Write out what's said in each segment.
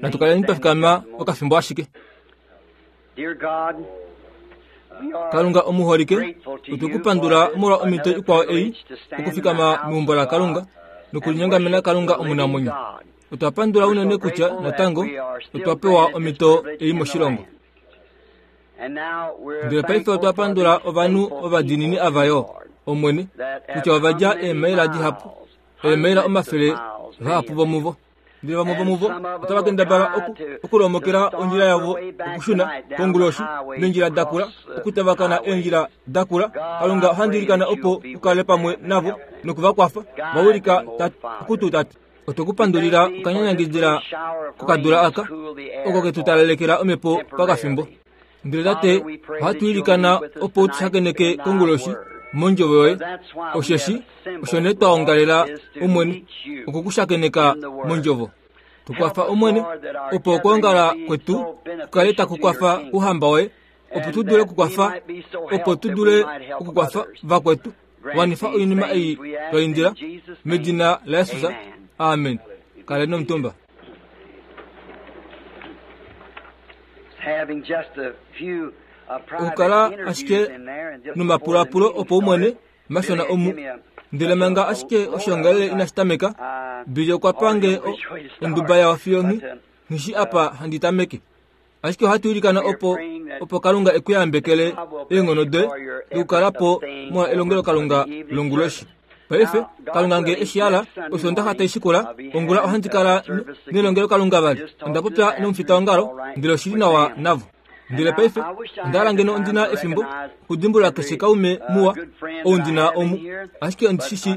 Natu kaleni twa fikama okafimbo ashike. Kalunga omuholike, otwe ku pandula molwa omhito ikwao ei okufikama meumbo laKalunga nokulinyongamena Kalunga omunamwenyo. Otwa pandula unene kutya natango otwa pewa omhito ei moshilongo. Ndele paife otwa pandula ovanhu ovadiinini ava yo, Omwene, kutya ova dja eemaila dihapu, eemaila omafele vahapu vomuvo. Ndele vamwe vomuvo otava kendabala oku, okulomokela ondjila yavo okushuna konguloshi meendjila dakula, okutavakana eendjila dakula. Kalunga ohandi ilikana opo u kale pamwe navo noku va kwafa va wilika okutu Tate. Otwe ku pandulila okanyanyangidila kokadula aka oko ke tu talalekela omhepo pakafimbo. Ndele Tate, ohatu ilikana opo u tu shakeneke konguloshi mondjovo yoye, osheshi osho nee twa ongalela Omwene, oku ku shakeneka mondjovo. Tu kwafa Omwene, opo okwoongala kwetu ku kale taku kwafa kuhamba woye, opo tu dule okukwafa, opo tu dule okukwafa vakwetu. Wanifa oinima ei twa indila medina laJesus. Amen. Kaleni omutumba. Okukala ashike nomapulapulo opaumwene mashona omu ndele manga ashike oshoongalele inashi tameka Billy okwa pa nge onduba yawo fiyo nghi nghi apa handi tameke. Ashike ohatu ilikana opo opo Kalunga e ku yambekele eenghono doye dokukala po molwa elongelokalunga longuloshi. Paife, Kalunga nge e shi hala, Osoondaxa tai shikula, ongula ohandi kala nelongelokalunga vali. Onda popya nomufitaongalo, ndele oshi li nawa navo. Ndele paife, onda hala ngeno ondi na efimbo okudimbulula keshe kaume muwa ou ndi na omu, ashike ondi shi shii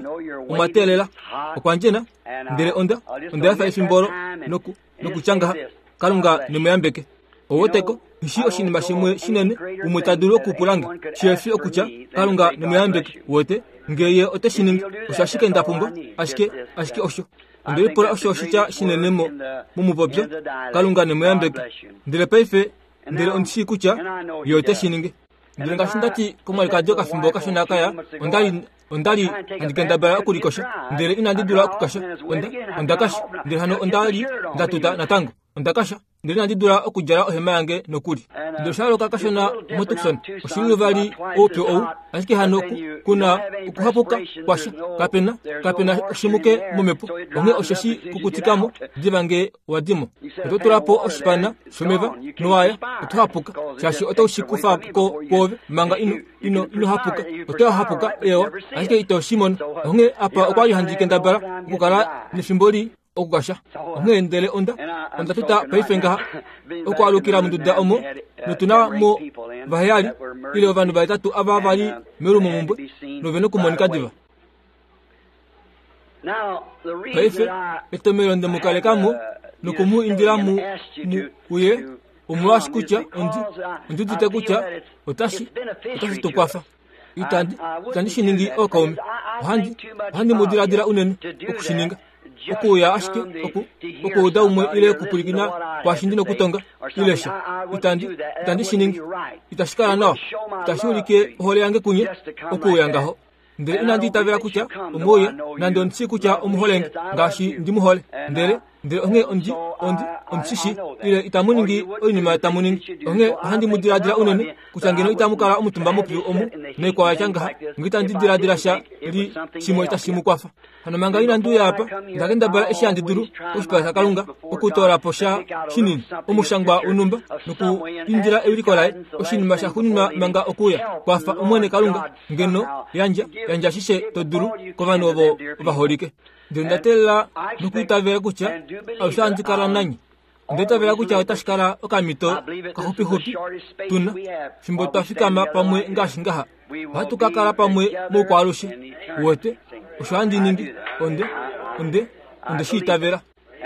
omwa teelela. Okwa ndjena, ndele onda, onda efa efimbo olo noku, nokutya ngaha, Kalunga ne mu yambeke. Oweteko, nghi oshinima shimwe shinene umwe ta dulu okupula nge, shihefi okutya, Kalunga ne mu yambeke. Uwete, nge ye ote shi ningi, osho ashike nda pumbwa, ashike, ashike osho. Onde lipula osho oshitya shinene mo, momupopyo, Kalunga ne mu yambeke. Ndele paife, ndele ondi shii kutya ye ote shi ningi. Ndele ngaashi nda ti komwalikadi okafimbo kashona kaya, onda li onda li handi kendabala okulikosha, ndele inandi dula okukasha. Onda, onda kasha, ndele hano onda li nda tuta natango. Onda kasha, ndele inandi dula okudjala ohema yange nokuli. Ndele osha yooloka kashona moTucson, oshili vali oupyu ou, ashike hano ku, ku na okuhapuka kwasha. Kape na, kape na oshimuke momhepo, onghee osheshi kukutika mo diva nge wa di mo. Oto tula po oshipana shomeva nowaya, oto hapuka, shaashi oto shi kufa ko kwoove manga ino ino ino hapuka. Oto hapuka, eewa, ashike ito shi mono. Onghee apa okwa li handi kendabala okukala nefimbo lii okukasha. Onghee ndele onda onda tuta paife ngaha okwaalukila monduda omo notu na mo vaheyali ile ovanhu vahetatu ava va li meulumomumbwe nove nokumonika diva. Paife etomhelo nde mu kaleka mo noku mu indila mu mu uye omolwaashi kutya ondi ondi udite kutya otashi otashi tu kwafa. Itandi itandi shi ningi ookaume. Ohandi ohandi mu diladila unene oku shi ninga. Okuuya ashike oku okuuda umwe ile okupwilikina kwaashi ndi nokutonga ile sha. Itandi itandi shi ningi. Itashi kala nawa. Itashi ulike ohole yange kunye okuuya ngaho. Ndele inandi itavela kutya omwe uya, nande ondi shii kutya omu hole nge ngaashi ndi mu hole. Ndele, ndele onghee ondi, ondi, ondi shi shii, ile itamu ningi oinima tamu ningi. Onghee ohandi mu diladila unene, kutya ngeno itamu kala omutumba mopyu omu, noikwao ya tya ngaha, nge itandi diladila sha li shimwe tashi mu kwafa. Hano manga inandi uya apa, nda kendabala eshi handi dulu koshipala shaKalunga okutoola po sha shinini, omushangwa wonhumba, nokuindila ewiliko laye, oshinima sha xuninwa manga okuuya. Kwafa, Omwene Kalunga, ngeno yandja, yandja ashishe to dulu kovanhu ovo ovaholike. Ndele onda teelela nokuitavela kutya alushe ohandi kala nanye. Onda itavela kutya otashi kala okamhito kaxupixupi tu na, fimbo twa fikama pamwe ngaashi ngaha. Ohatu ka kala pamwe moukwaalushe. Uwete? Osho handi ningi. Onde, onde, onde shi itavela.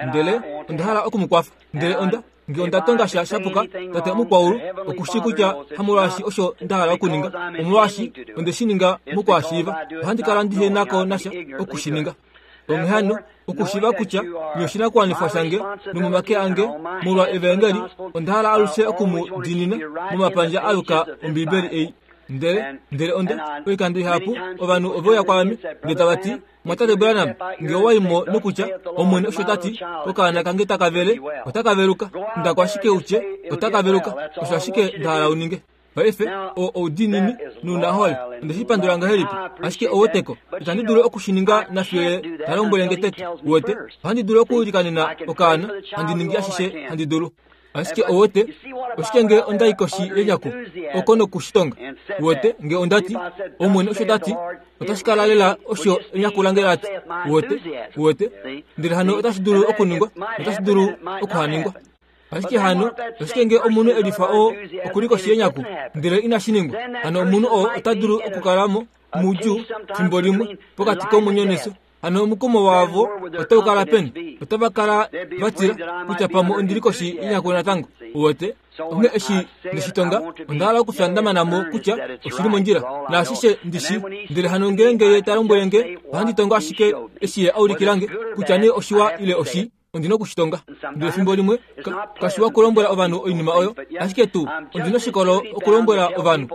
Ndele onda hala oku mu kwafa. Ndele onda, nge onda tonga sha shapuka, Tate omukwaulu oku shii kutya hamolwaashi osho nda hala okuninga, omolwaashi onde shi ninga mokwaashiiva. Ohandi kala ndihe na ko nasha oku shi ninga. Onghee hano, okushiiva kutya nye oshinakuwanifwa shange nomomake ange molwa evaengeli, onda hala alushe oku mu diinina momapandja a yuka Ombibeli ei. Ndele, ndele onda, oikando ihapu, ovanhu ove uya kwaame, ndele tava ti, Mwatate Branham, nge owa i mo nokutya, Omwene osho ta ti, okaana kange taka vele, otaka veluka. Inda ko ashike u tye, Otaka veluka. Osho ashike nda hala u ninge. Paife, oo oudiinini nounahole. Onde shi pandula ngahelipi! Ashike oweteko, itandi dulu oku shi ninga nafiyo Ye ta lombwele nge tete. Uwete? Ohandi dulu okuilikanena okaana, handi ningi ashishe handi dulu. Ashike owete, oshike nge onda i koshi yelyaku oko noku shi tonga? Uwete, nge onda ti, Omwene osho ta ti, otashi kala lela osho enyaku lange la ti. Uwete? Uwete? Ndele hano otashi dulu okuningwa, notashi dulu okuhaningwa. Ashike hano, oshike nge omunhu e lifa oo oku li koshi yenyaku, ndele inashi ningwa? Hano omunhu oo ota dulu okukala mo moudjuu fimbo limwe pokati komwenyo nefyo. Hano omukumo wavo otau kala peni? Otava kala va tila kutya pamwe ondi li koshi yenyaku natango. Uwete? Onghee eshi nde shi tonga, onda hala okufya nda mana mo kutya oshi li mondjila, naashishe ndi shi. Ndele hano ngeenge ye ta lombwele nge, ohandi tongo ashike eshi ye a ulikila nge, kutya nee oshiwa ile oshii. Ondi na oku shi tonga. Ndele efimbo limwe, ka, kashiwa okulombwela ovanhu oinima oyo, ashike tuu ondi noshikolo okulombwela ovanhu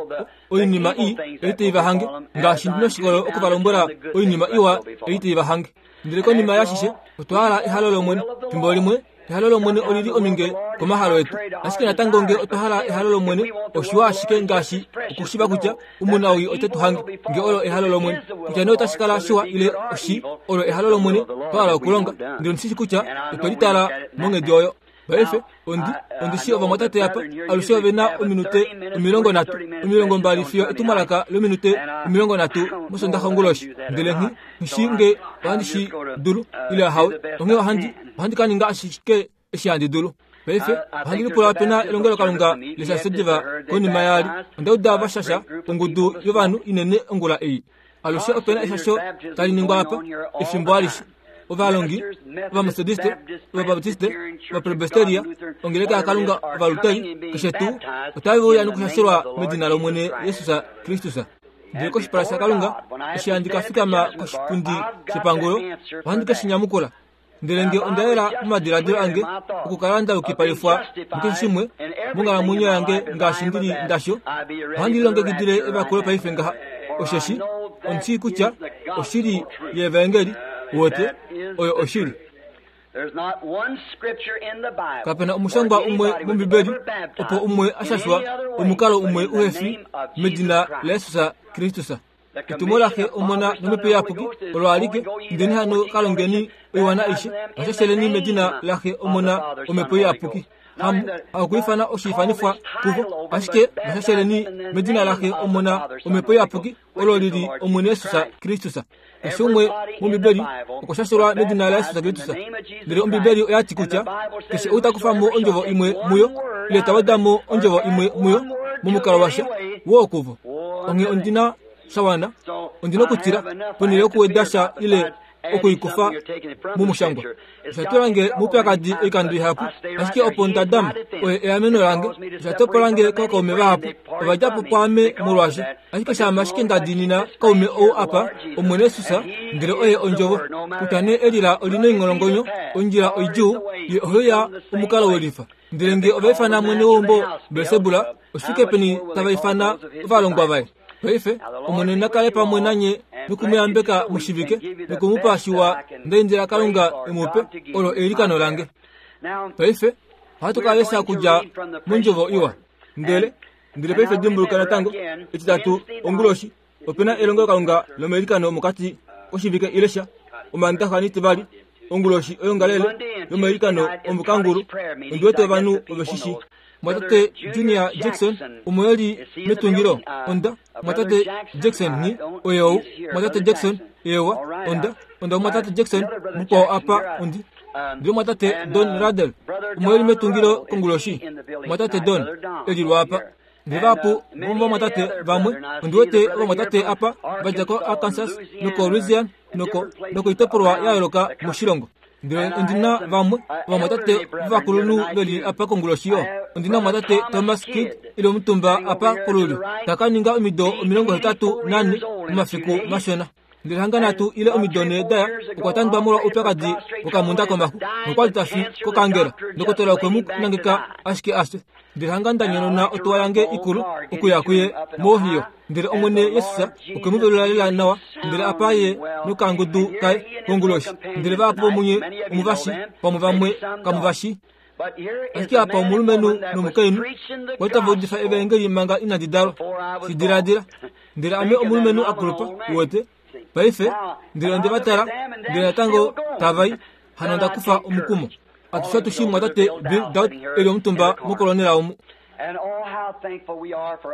oinima ii ei tai va hange, ngaashi ndi noshikolo oku va lombwela oinima iwa ei tai va hange. Ndele konima yaashishe, otwa hala ehalo lOmwene. Efimbo limwe, ehalo lOmwene oli li ominge komahalo etu. Ashike natango nge otwa hala ehalo lOmwene, oshiwa ashike ngaashi okushiva kutya omunawii ote tu hange, nge olo ehalo lOmwene. Kutya nee otashi kala shiwa ile oshii, olo ehalo lOmwene twa hala okulonga. Ndele ondi shi shii kutya otwe litala monghedi oyo. Paife, ondi, ondi shii ovamwatate apa alushe ove na ominute 30, 20 fiyo etumwalaka lominute 30 mOsondaxa onguloshi. Ndele nghi, nghi shii nge ohandi shi dulu, ile ahawe. Onghee ohandi, ohandi ka ninga ashike eshi handi dulu. Paife, ohandi lipula ope na elongelokalunga leshasho diva konima yaali. Onda uda va shasha ongudu yovanhu inene ongula ei. Alushe ope na eshasho tali ningwa apa, efimbo alishe. Ovalongi, Ovametodiste, Ovabaptiste, Ovapresbiteria, Ongeleka yaKalunga, Ovaluteri, keshe tuu, otave uya nokushashelwa medina lOmwene Jesus Kristus. Ndele koshipala shaKalunga, eshi handi ka fikama koshipundi shepangulo, ohandi ke shi nyamukula. Ndele nge onda yela momadiladilo ange okukala nda yukipalifwa mukeshe shimwe monghalamwenyo yange ngaashi ndi li ndasho, ohandi lilongekidile evakulo paife ngaha, osheshi ondi shii kutya oshili yevaengeli, uwete, oyo oshili. Kape na omushangwa umwe mOmbibeli opo umwe a shashwa omukalo umwe uhe fi medina laJesus Kristus. Etumo laXe, Omona nOmhepo Iyapuki olo alike. Indeni hano ka longeni oiwana aishe, vashasheleni medina laXe, Omona, Omhepo Iyapuki. Hamu hakuifana oshiifanifwa kuvo, ashike vashasheleni medina laXe, Omona, Omhepo Iyapuki, olo li li Omwene Jesus Kristus. Keshe umwe mOmbibeli okwa shashelwa medina laJesus Kristus. Ndele Ombibeli oya ti kutya keshe ou ta kufa mo ondjovo imwe muyo, ile ta weda mo ondjovo imwe muyo, momukalo washa, woo kuvo. Onghee ondi na sha wana, ondi na okutila, ponhele yokuweda sha ile okuikufa momushangwa. Osha tula nge moupyakadi oikando ihapu, ashike opo nda dama, oye eameno lange. Osha topola nge kookaume vahapu, ova dja po pwaame molwaasho. Ashike shaama ashike nda diinina kaume ou apa, Omwene Jesus, ndele oye Ondjovo. Kutya nee elila oli noingolongonyo, ondjila oidjuu, ye ohe uya omukalo welifa. Ndele nge ova ifana mwene weumbo Belsebula, oshike peni tava ifana ovalongwa vaye? Paife, Omwene na kale pamwe nanye noku mu yambeka moshivike noku mu pa shiwa nda indila Kalunga e mu pe, olo eilikano lange. Paife, ohatu ka lesha okudja mondjovo iwa. Ndele, ndele paife dimbuluka natango, Etitatu onguloshi, ope na elongelokalunga lomailikano mokati koshivike ile sha Omaandaxa nEtivali onguloshi oyongalele yomailikano omokangulu. Ondi wete ovanhu ove shi shii. Mwatate Junior Jackson omo e li metungilo. Onda, Mwatate Jackson, nghi, oye ou. Mwatate Jackson, eewa, onda, onda Mwatate Jackson, mukwao apa, ondi. Ndele Mwatate Don Ruddell omo e li metungilo konguloshi. Mwatate Don, e li lwaapa. Ndele vahapu vomovamwatate vamwe, ondi wete ovamwatate apa va dja koArkansas nokoLouisiana noko nokoitopolwa ya yooloka moshilongo. Ndele ondi na vamwe ovamwatate vovakulunhu ve li apa konguloshi yo. Ondi na omumwatate Thomas Kidd e li omutumba apa kolulyo, ta ka ninga omido 84 momafiku mashona. Ndele hanga nhatu ile omido nhee da ya, okwa tandwa molwa oupyakadi wokamunda komaxu, nokwa li ta fi kokaangela. Ndokotola okwe mu nangeka ashike a fye. Ndele hanga nda nyonona otuwa yange ikulu okuya kuye moOhio. Ndele Omwene Jesus okwe mu velula lela nawa, ndele apa ye nokangudu kaye konguloshi. Ndele vahapu vomunye omu va shi, pamwe vamwe kamu va shi. Ashike apa omulumenhu nomukainhu kwa li tava udifa evaengeli manga inandi dalwa. Shi diladila. Ndele ame omulumenhu a kulupa, uwete, paife, ndele onde va tala, ndele natango tava i. Hano onda kufa omukumo. Atushe otu shii mumwatate Bill Dauch e li omutumba mokolonela omu.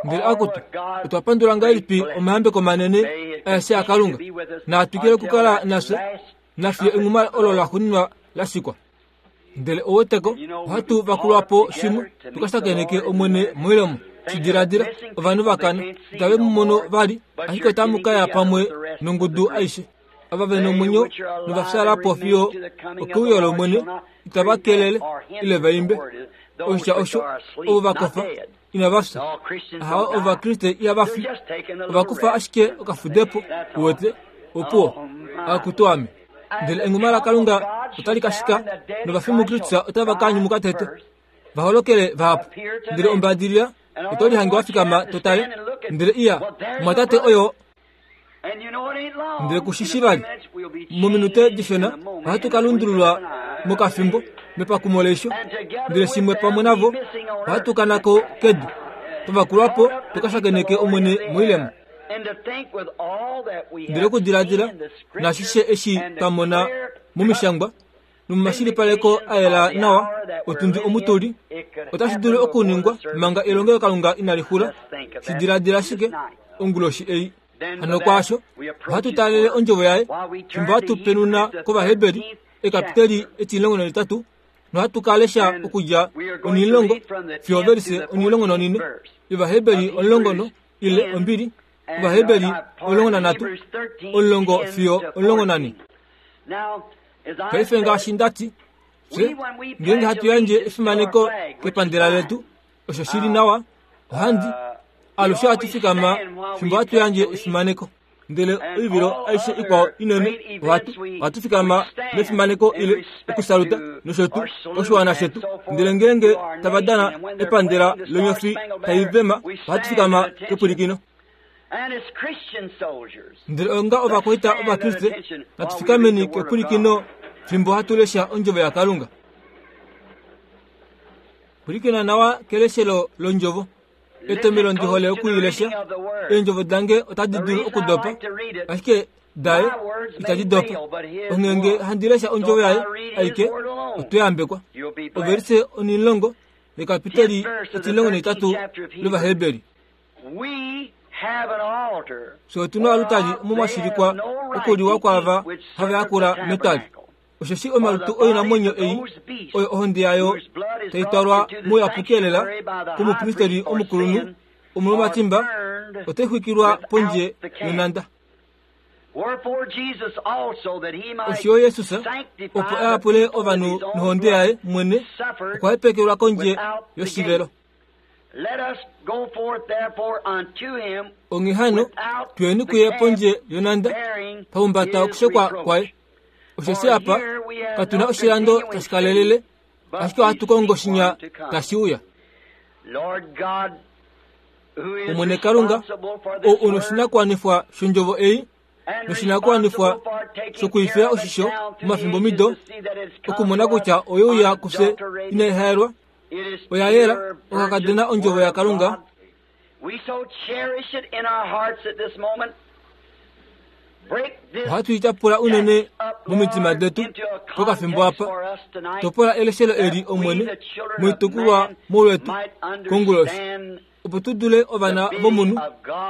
Ndele akutu, otwa pandula ngahelipi omayambeko manene aeshe aKalunga. Naa twikile okukala nafye, nafiyo enghuma olo laxuuninwa la shikwa. Ndele ouweteko, ohatu vakulwa po shimwe, tu ka shakeneke Omwene moilemo. Shi diladila, ovanhu va kana, itave mu mono vali, ashike otamu ka ya pamwe nongudu aishe. Ava ve nomwenyo nova fyaala po fiyo okeuyo lOmwene, itava kelele ile va imbe. Oshitya osho, ovo va kofa, inava fya. Ahawe, Ovakriste ihava fi. Ova kufa ashike okafudepo, uwete, opuwo. Akutu ame. Ndele enghuma laKalunga otali ka shika, novafi muKristus otava ka nyumuka tete, va holokele vahapu. Ndele ombadilila oto lihange wa fikama to tale, ndele iya, mumwatate oyo Ndele ku shi shi vali, mominute dishona ohatu ka lundululwa mokafimbo mepakumo leisho, ndele shimwe pamwe navo ohatu kana ko kedu, twa vakulwa po tu ka shakeneke Omwene moilemo. Ndele okudiladila naashishe eshi twa mona momishangwa nomomashilipaleko a yela nawa otundi omu tu li, otashi dulu okuningwa manga elongelokalunga inali xula. Shi diladila ashike onguloshi ei. Hano kwaasho, ohatu taalele ondjovo yaye, fimbo hatu penuna kOvaheberi, ekapiteli etimulongo nonhetatu, nohatu ka lesha okudja onhimulongo fiyo overise onhimulongo nonhine yOvaheberi omulongo no, ile ombili, Ovaheberi 13, omulongo fiyo 14. Paife ngaashi nda ti, fye ngeenge hatu yandje efimaneko kepandela letu, osho shi li nawa, ohandi alushe ohatu fikama fimbo hatu yandje efimaneko. Ndele oivilo aishe ikwao inene ohatu ohatu fikama nefimaneko ile okusaluta nosho tuu oshiwana shetu. Ndele ngeenge tava dana epandela lonyofi tai vema, ohatu fikama kepwilikino. Ndele onga ovakwaita Ovakriste, natu fikameni kepwilikino fimbo hatu lesha Ondjovo yaKalunga. Pwilikina nawa keleshelo lOndjovo. Etomhelo ndi hole oku i lesha, eendjovo dange otadi dulu okudopa, ashike daye itadi dopa. Onghee handi lesha Ondjovo yaye aike, oto yambekwa. Ovelise onhimulongo yekapiteli etimulongo nahetatu lOvaheberi. Fye otu na olutali omo mwa shilikwa okuliwa kwaava hava yakula metwali. Osheshi omalutu oinamwenyo ei oyo ohonde yayo tai twalwa mouyapuki-elela komupristeli omukulunhu omolwomatimba, otai xwikilwa pondje yonhanda. Osho yo Jesus, opo a yapule ovanhu nohonde yaye mwene, okwa hepekelwa kondje yoshivelo. Onghee hano, tuyeni kuye pondje yonhanda, pahumbata okushekwa kwaye. Osheshi apa katu na oshilando tashi kalelele, ashike ohatu kongo shinya tashi uya. Omwene Kalunga, ou u noshinakuwanifwa shondjovo ei, noshinakuwanifwa shokuifila oshisho momafimbomido, okumona kutya oye uya kufye inai haelwa, oya yela, okakadona ondjovo yaKalunga. Ohatu i tyapula unene momitima detu pokafimbo apa. Topola eleshelo eli, Omwene, moitukulwa molwetu konguloshi, opo tu dule ovana vomunhu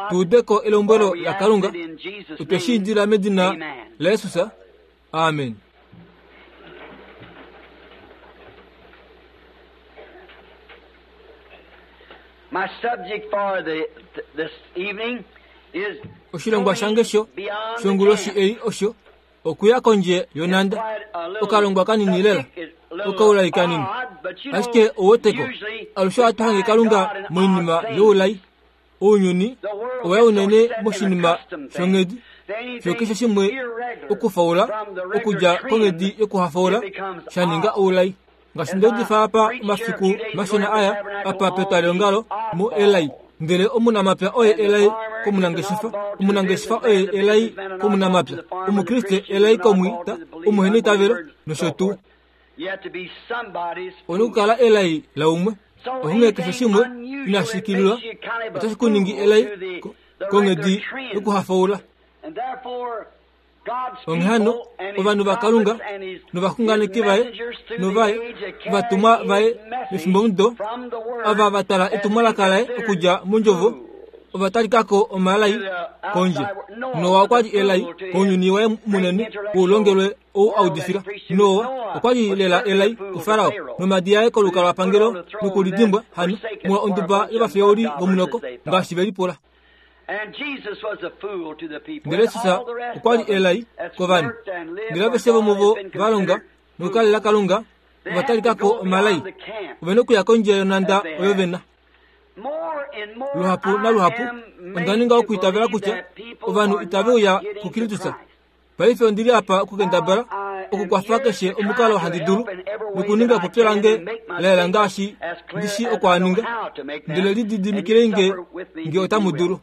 tu ude ko elombwelo laKalunga. Otwe shi indila medina laJesus. Amen. My subject for the, this evening is Oshilongwa shange sho shonguloshi ei osho okuya kondje yonhanda. Okalongwa kanini lela, okaulai kanini. Ashike ouweteko, alushe ohatu hange Kalunga moinima youlai. Ounyuni owa ya unene moshinima shonghedi. Fiyo keshe shimwe okufaula okudja konghedi yokuhafaula sha ninga oulai. Ngaashi nda udifa apa omafiku mashona aya, apa petwaliongalo mu elai. Ndele omunamapya oye elai komunangeshefa, omunangeshefa oye elai komunamapya, Omukriste elai komwiita, omuheneitavelo, nosho tuu. Ouna okukala elai laumwe. Onghee keshe shimwe inashi kililwa otashi ku ningi elai konghedi yokuhafaula. Onghee hano, ovanhu vaKalunga novaxunganeki vaye novaye ovatumwa vaye mefimbomudo ava va tala etumwalaka laye okudja mondjovo ova talika ko omalai kondje. Noa okwa li elai kounyuni waye munene woulongelwe ou a udifila. Noa okwa li lela elai kuFarao nomadi aye kolukalwapangelo nokulidimbwa hano molwa onduba yovafeuli vomunoko ngaashi ve lipula. Ndele Jesus okwa li elai kovanhu. Ndele aveshe vomuvo va longa nokukalela Kalunga ova talika ko omalai. Ove na okuya kondje yonhanda oyo ve na. Luhapu naluhapu onda ninga okwiitavela kutya ovanhu itave uya kuKristus. Paife ondi li apa okukendabala okukwafa keshe omukalo handi dulu nokuninga epopyo lange la yela ngaashi ndi shii oku a ninga, ndele lididimikilei nge nge otamu dulu.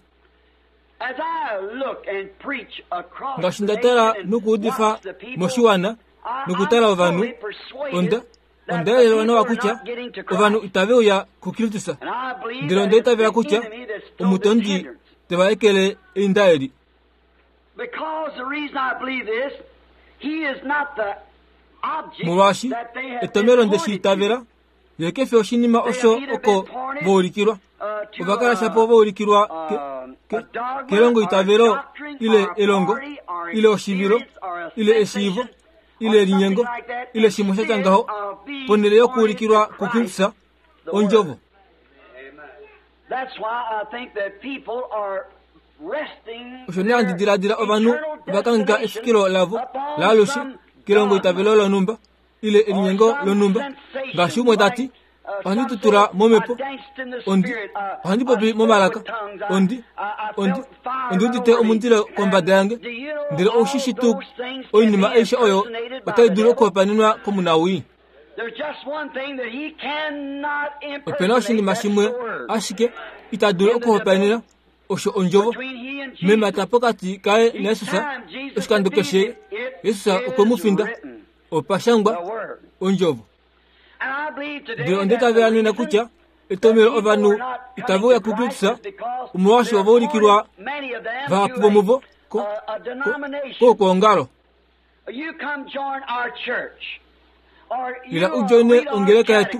Ngaashi nda tala nokuudifa moshiwana nokutala ovanhu, onda onda yelelwa nawa kutya ovanhu itave uya kuKristus, ndele onda itavela kutya omutondi te va ekele einda eli. Molwaashi etomhelo nde shi itavela, ye ke fi oshinima osho oko va ulikilwa. Ova kala shapo va ulikilwa ke, ke, kelongoitavelo ile elongo ile oshivilo ile eshiivo ile elinyengo ile shimwe sha tya ngaho, ponhele yokuulikilwa kuKristus, Ondjovo. Osho nee handi diladila ovanhu ova kangheka efikilo lavo laalushe kelongoitavelo lonhumba ile elinyengo lonhumba, ngaashi umwe ta ti, Ohandi tutula momhepo, ondi, ohandi popi momalaka, ondi, ondi, ondi udite omundilo kombada yange. Ndele ou shi shi tuu oinima aishe oyo otai dulu okuhopaenenwa komunawii? Ope na oshinima shimwe ashike ita dulu okuhopaenena, osho ondjovo. Memata pokati kaye naJesus, oshikando keshe Jesus okwe mu finda. Opa shangwa ondjovo. Ndele onda itavela nena kutya etomhelo ovanhu itave uya kuKristus omolwaashi ova ulikilwa vahapu vomuvo kokwoongalo. Ila u joine ongeleka yetu,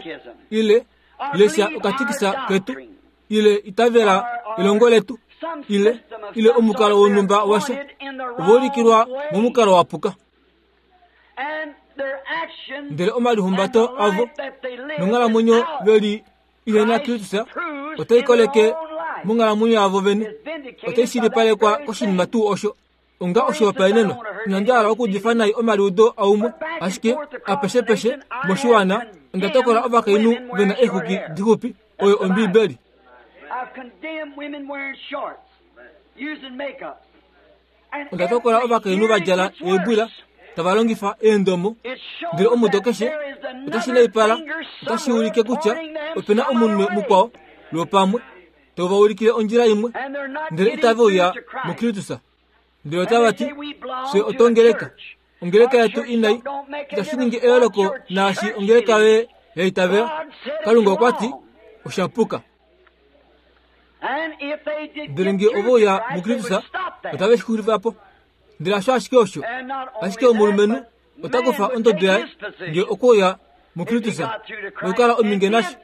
ile lesha okatikisa ketu, ile itavela elongo letu, ile ile omukalo wonhumba washa. Ova ulikilwa momukalo wa puka. Ndele omalihumbato avo nonghalamwenyo ve li ihe na Kristus otai koleke monghalamwenyo yavo vene, otai shilipalekwa koshinima tuu osho. Onga oshihopaenenwa, inandi hala okuudifa nai omaliudo aumwe, ashike apeshepeshe moshiwana onda tokola ovakainhu ve na eexwiki dixupi, oyo Ombiibeli. Onda tokola ovakainhu va djala eebwila tava longifa eendomo, ndele omudo keshe otashi naipala, otashi ulike kutya ope na omunwe mukwao lwopamwe tau va ulikile ondjila imwe, ndele itave uya muKristus. Ndele otava ti, Fye otwongeleka. Ongeleka yetu inai itashi ningi eyooloko naashi ongeleka yoye ya itavela. Kalunga okwa ti, Osha puka. Ndele nge ove uya muKristus, otave shi xulifa po. Ndele hasho ashike osho, ashike omulumenhu ota kufa ondodo yaye nge okwe uya muKristus nokukala ominge nasho.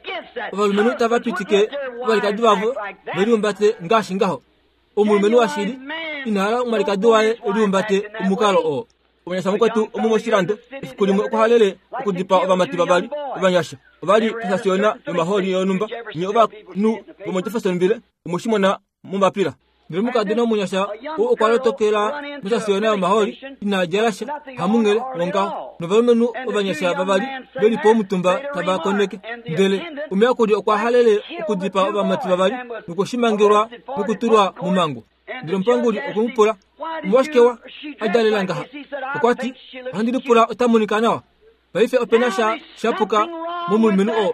Ovalumenhu tava pitike ovalikadi vavo ve lihumbate ngaashi ngaho. Omulumenhu washili ina hala omwalikadi waye e lihumbate omukalo oo. Omunyasha mukwetu omu moshilando efiku limwe okwa halele okudipaa ovamati vavali ovanyasha. Ova li posasiona yomahooli yonhumba. Nye ovanhu vomoJeffersonville omwe shi mona mombapila. Ndele omukadona omunyasha ou okwa lotokela mosasiona yomahooli ina djala sha, hamunghele wongaho, novalumenhu ovanyasha vavali ve li pomutumba tava koneke. Ndele omuyakuli okwa halele okudipaa ovamati vavali nokwe shi mangelwa nokutulwa momhangu. Ndele omupanguli okwe mu pula, Omolwashike wa a djalela ngaha? Okwa ti, Ohandi lipula ota monika nawa. Paife ope na sha sha puka momulumenhu oo.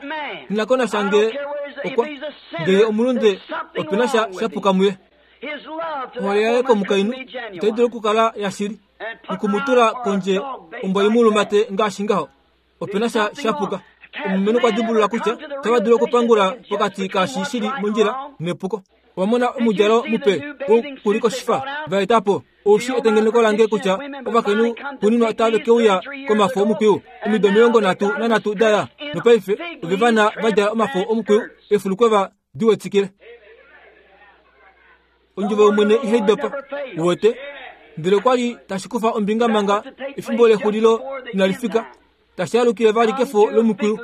Nghi na ko nasha ngee okwa, ngee ye omulunde, ope na sha sha puka muye. Ohole yaye komukainhu itai dulu okukala yashili, noku mu tula kondje ombwa i mu lumate ngaashi ngaho. Ope na sha sha puka. Omulumenhu okwa dimbulula kutya otava dulu okupangula pokati kaashi shi li mondjila nepuko. Owa mona omudjalo mupe wokulikoshifa va eta po? Ou shii etengeneko lange kutya ovakainhu xuuninwa otave ke uya komafo omukwiyu omido 33 da ya, nopaife ove vana va djala omafo omukwiyu eefulukweva di wetikile. Ondjovo yOmwene ihai dopa, uwete. Ndele okwa li tashi kufa ombinga manga efimbo lexulilo inali fika, tashi alukile vali kefo lomukwiyu.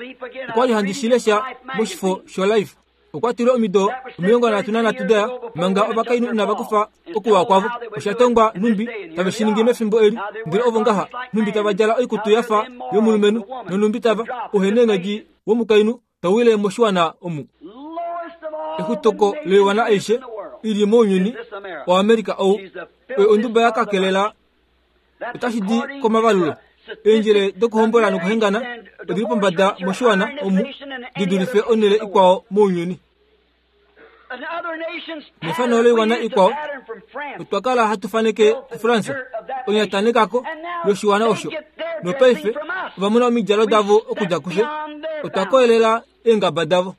Okwa li handi shi lesha moshifo shoLife. Okwa tile omido 33 da ya manga ovakainhu inava kufa okuwa kwavo. Osha tongwa nhumbi tave shi ningi mefimbo eli, ndele ovo ngaha nhumbi tava djala oikutu ya fa yomulumenhu, nonhumbi tava ouheneenghedi womukainhu tau wile moshiwana omu. Exutoko loiwana aishe i li mounyuni waAmerika ou oyo onduba ya kakelela otashi di komavalulo. Eendjele dokuhombola nokuhengana odi li pombada moshiwana omu di dulife onhele ikwao mounyuni. Mefano loiwana ikwao, otwa kala hatu faneke kuFrance onyatanekako yoshiwana osho, nopaife ova mona omidjalo davo okudja kufye. Otwa koyelela eengaba davo.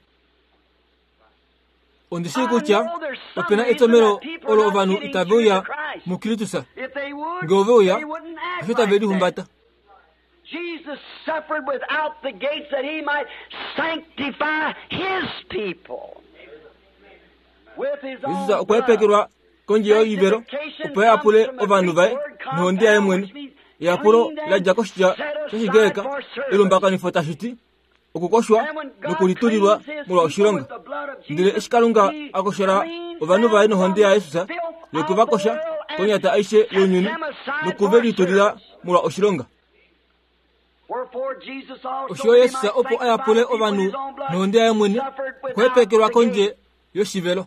Ondi shii kutya ope na etomhelo olo ovanhu itave uya muKristus. Nge ove uya, osho tave lihumbata. Jesus suffered without the gates that he might sanctify his people. With his own Jesus okwa hepekelwa kondje yoivelo opo a yapule ovanhu vaye nohonde yaye mwene. Eyapulo la dja koshitya shOshigreka elumbakanifo tashi ti okukoshwa nokulitulilwa molwa oshilonga. Ndele eshi Kalunga a koshola ovanhu vaye nohonde yaJesus yoku va kosha konyata aishe younyuni noku ve litulila molwa oshilonga. Osho Jesus opo a yapule ovanhu nohonde yaye mwene, okwa hepekelwa kondje yoshivelo.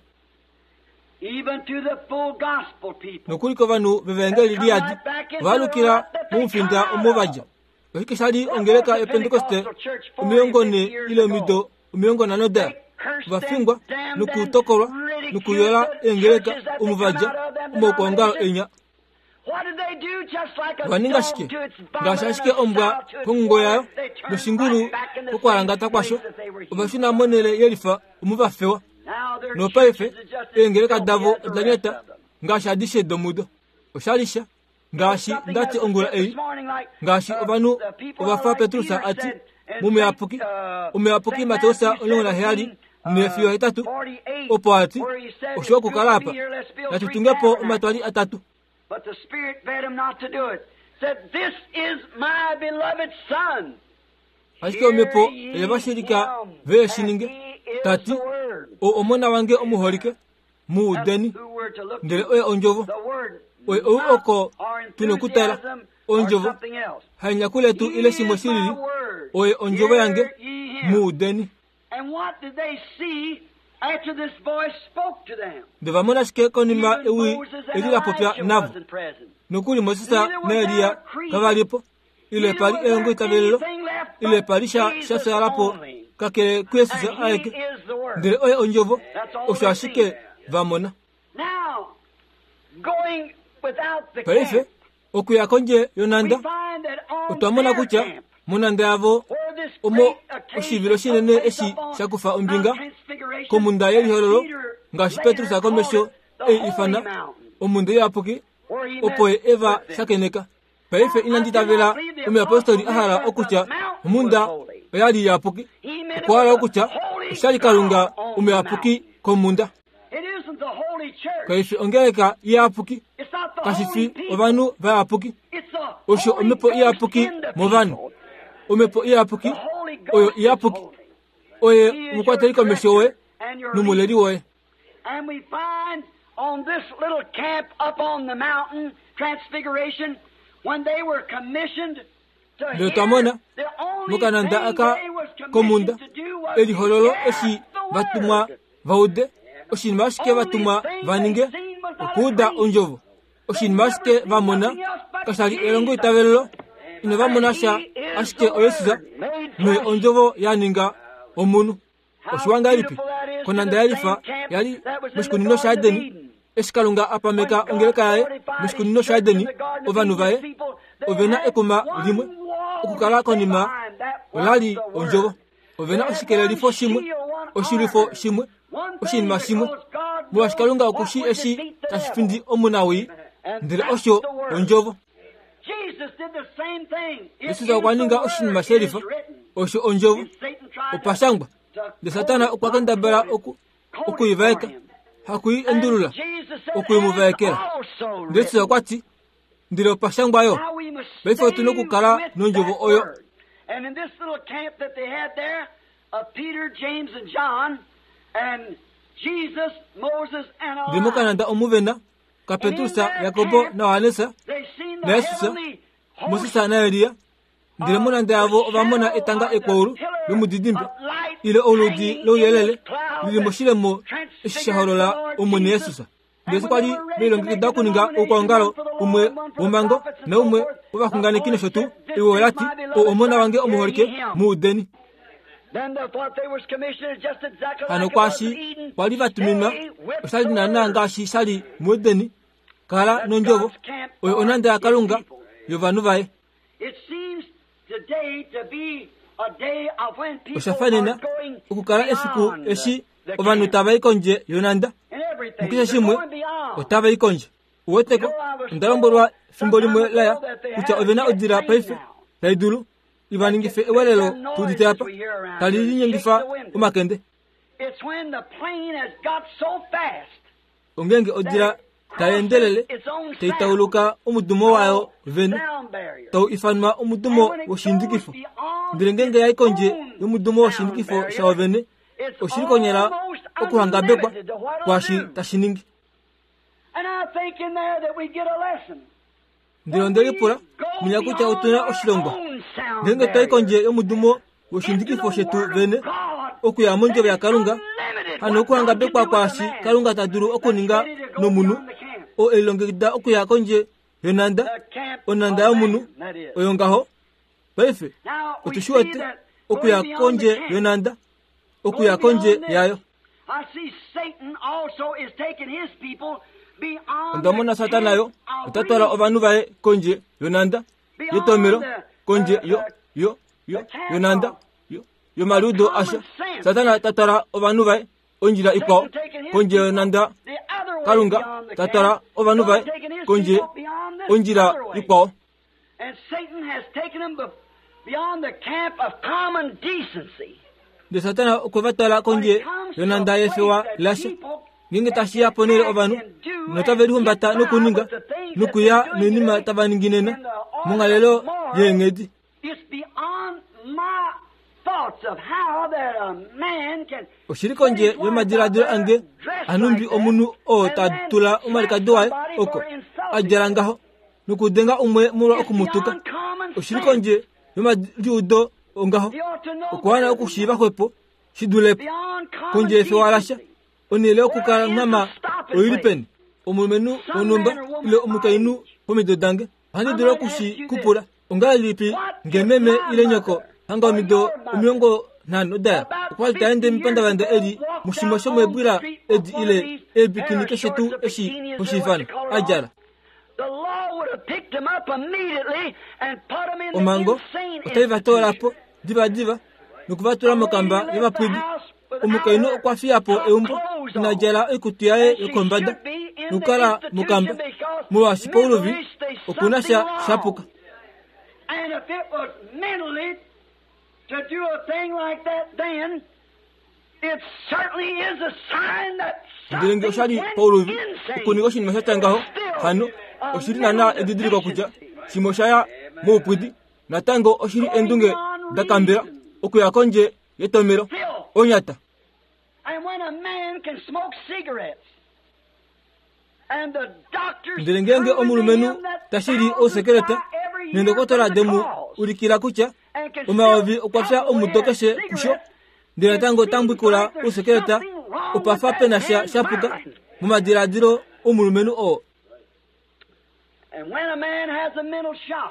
Nokuli kovanhu vevaengeli liyadi, ova alukila momufinda omo va dja. Oshike sha li ongeleka yoPentekoste 40 ile omido 50 da va fingwa nokutokolwa nokuyola eengeleka omo va dja omaukwaongalo enya? Ova ninga shike? Ngaashi ashike ombwa kongungo yayo noshingulu kokwalangata kwasho, ova shuna monhele yelifa omo va fewa. Nopaife eengeleka davo oda nyata ngaashi adishe domudo. Osha li sha Ngaashi nda ti ongula ei, ngaashi ovanhu ova fa Petrus a ti mOmuyapuki, Omuyapuki Mateus 17 nefiyo 8, opo a ti, Oshiwa okukala apa, natu tunge po omatwali atatu. Ashike omhepo oye va shilika ve shi ninge, ta ti, Ou omona wange omuholike, mu udeni. Ndele oye ondjovo. Oye ou oko tu nokutala, ondjovo, haenyaku letu ile shimwe shi lili. Oye ondjovo yange, mu udeni. Ndele va mona shike konima ewi eli la popya navo? Nokuli Moses naElia kava li po, ile pa li elongoitavelelo, ile pa li sha sha fyaala po kakele kuJesus aeke. Ndele oye Ondjovo, osho ashike va mona. Paife, okuya kondje yonhanda, otwa mona kutya monhanda yavo omo oshivilo shinene eshi sha kufa ombinga komhunda yelihololo, ngaashi Petrus komesho ei ifana omhunda iyapuki, opo ye e va shakeneka. Paife inandi itavela omuyapostoli a hala okutya omhunda oya li iyapuki. Okwa hala okutya osha li Kalunga omuyapuki komhunda. Kai fi ongeleka iyapuki, kashi fi ovanhu vayapuki. Osho omhepo iyapuki movanhu. Omhepo iyapuki oyo iyapuki. Oye omukwateli komesho woye nomuleli woye. And we find on this little camp up on the mountain, Transfiguration, when they were commissioned to Ndele twa mona, mokananda aka komhunda, elihololo eshi va tumwa va ude, oshinima ashike va tumwa va ninge, okuuda ondjovo. Oshinima ashike va mona kasha li elongo itavelelo, inava mona sha ashike oYesus noye ondjovo ya ninga omunhu. Oshiwa ngahelipi konanda ya lifa ya li moshikunino shaEdeni, eshi Kalunga a pameka ongeleka yaye moshikunino shaEdeni, ovanhu vaye ove na ekuma limwe okukala konima ola li ondjovo. Ove na oshikelelifo shimwe, oshilwifo shimwe, oshinima shimwe, molwaashi Kalunga oku shii eshi tashi findi omunawii, ndele osho ondjovo. Jesus okwa ninga oshinima shelifa, osho ondjovo. Opa shangwa, ndele Satana okwa kendabala oku oku i vaeka, haku i endulula, oku i mu vaekela. Ndele Jesus okwa ti, ndele opa shangwa yo. Paife otu na okukala nondjovo oyo. Ndele mokananda omu ve na kaPetrus, Jakobo naJohannes naJesus, Moses naElia. Ndele monhanda yavo ova mona etanga ekwaulu lomudidimbe ile oludi louyelele li li moshilemo eshi sha holola Omwene Jesus. Ndele kwa li ve lilongekida okuninga oukwaongalo umwe womhango naumwe wovaxunganeki nosho tuu, ewi ola ti, Ou Omona wange omuholike, mu udeni. Hano kwaashi kwa li va tuminwa osha li naanaa ngaashi sha li muEdeni, kala nondjovo, oyo onhanda yaKalunga yovanhu vaye. Osha fanena okukala efiku eshi ovanhu tava i kondje yonhanda, mukeshe shimwe otava i kondje. Uweteko, onda lombwelwa fimbo limwe laya kutya ove na odila paife tai dulu i va ningife ewelelo tu udite apa, tali linyengifa omakende. Ongeenge odila tai endelele tai tauluka omudumo wayo vene, tau ifanwa omudumo woshindikifo. Ndele ngeenge ya i kondje yomudumo woshindikifo shawo vene, oshi li konyala okuhangabekwa kwaashi tashi ningi. Ndele onde lipula munya kutya otu na oshilongwa ngeenge twa i kondje yomudumo woshindikifo shetu vene okuya mondjovo yaKalunga, hano okuhangabekwa kwaashi Kalunga ta dulu okuninga nomunhu oo e lilongekida okuya kondje yonhanda, onhanda yomunhu oyo ngaho. Paife otu shi wete okuya kondje yonhanda, okuya kondje yayo. Onda mona Satana yo ota twala ovanhu vaye kondje yonhanda yetomelo, kondje yo yo yo yonhanda yo yomaliudo asha. Satana ta twala ovanhu vaye ondjila ikwao kondje yonhanda, Kalunga ta twala ovanhu vaye kondje ondjila ikwao. Ndele Satana okwe va twala kondje yonhanda yefewa lasha. Ngeenge tashi ya ponhele ovanhu notave lihumbata nokuninga nokuya noinima tava ningi nena monghalelo yeenghedi. Oshi li kondje yomadiladilo ange anhumbi omunhu oo ta tula omalikadi waye oko a djala ngaho nokudenga umwe molwa oku mu tuka. Oshi li kondje yomaliudo ongaho. Okwa wana okushiiva xwepo shi dule po. Kondje yefewa lasha, onhele yokukanghama oi li peni? Omulumenhu wonhumba ile omukainhu pomido dange, ohandi dulu oku shi ku pula, Ongahelipi nge meme ile nyoko hanga omido 50 daya okwa li ta ende mepandavanda eli mushimwe shomeebwila edi ile eebikini keshe tuu eshi ho shi ifana, a djala? Omhango otai va toola po divadiva noku va tula mokamba yovapwidi. Omukainhu okwa fiya po eumbo ina djala oikutu yaye yokombada nokukala mokamba molwaashi pouluvi oku na sha sha puka. Ndele nge osha li pauluvi okuninga oshinima sha tya ngaho, hano oshi li naanaa edidiliko kutya shimwe osha ya moupwidi. Natango oshi li endunge da kambela okuya kondje yetomelo onyata. Ndele ngeenge omulumenhu ta shili ousekeleta neendokotola de mu ulikila kutya omayovi okwa fya omudo keshe kusho, ndele natango ta mbwikula ousekeleta, opa fa pe na sha sha puka momadiladilo omulumenhu oo.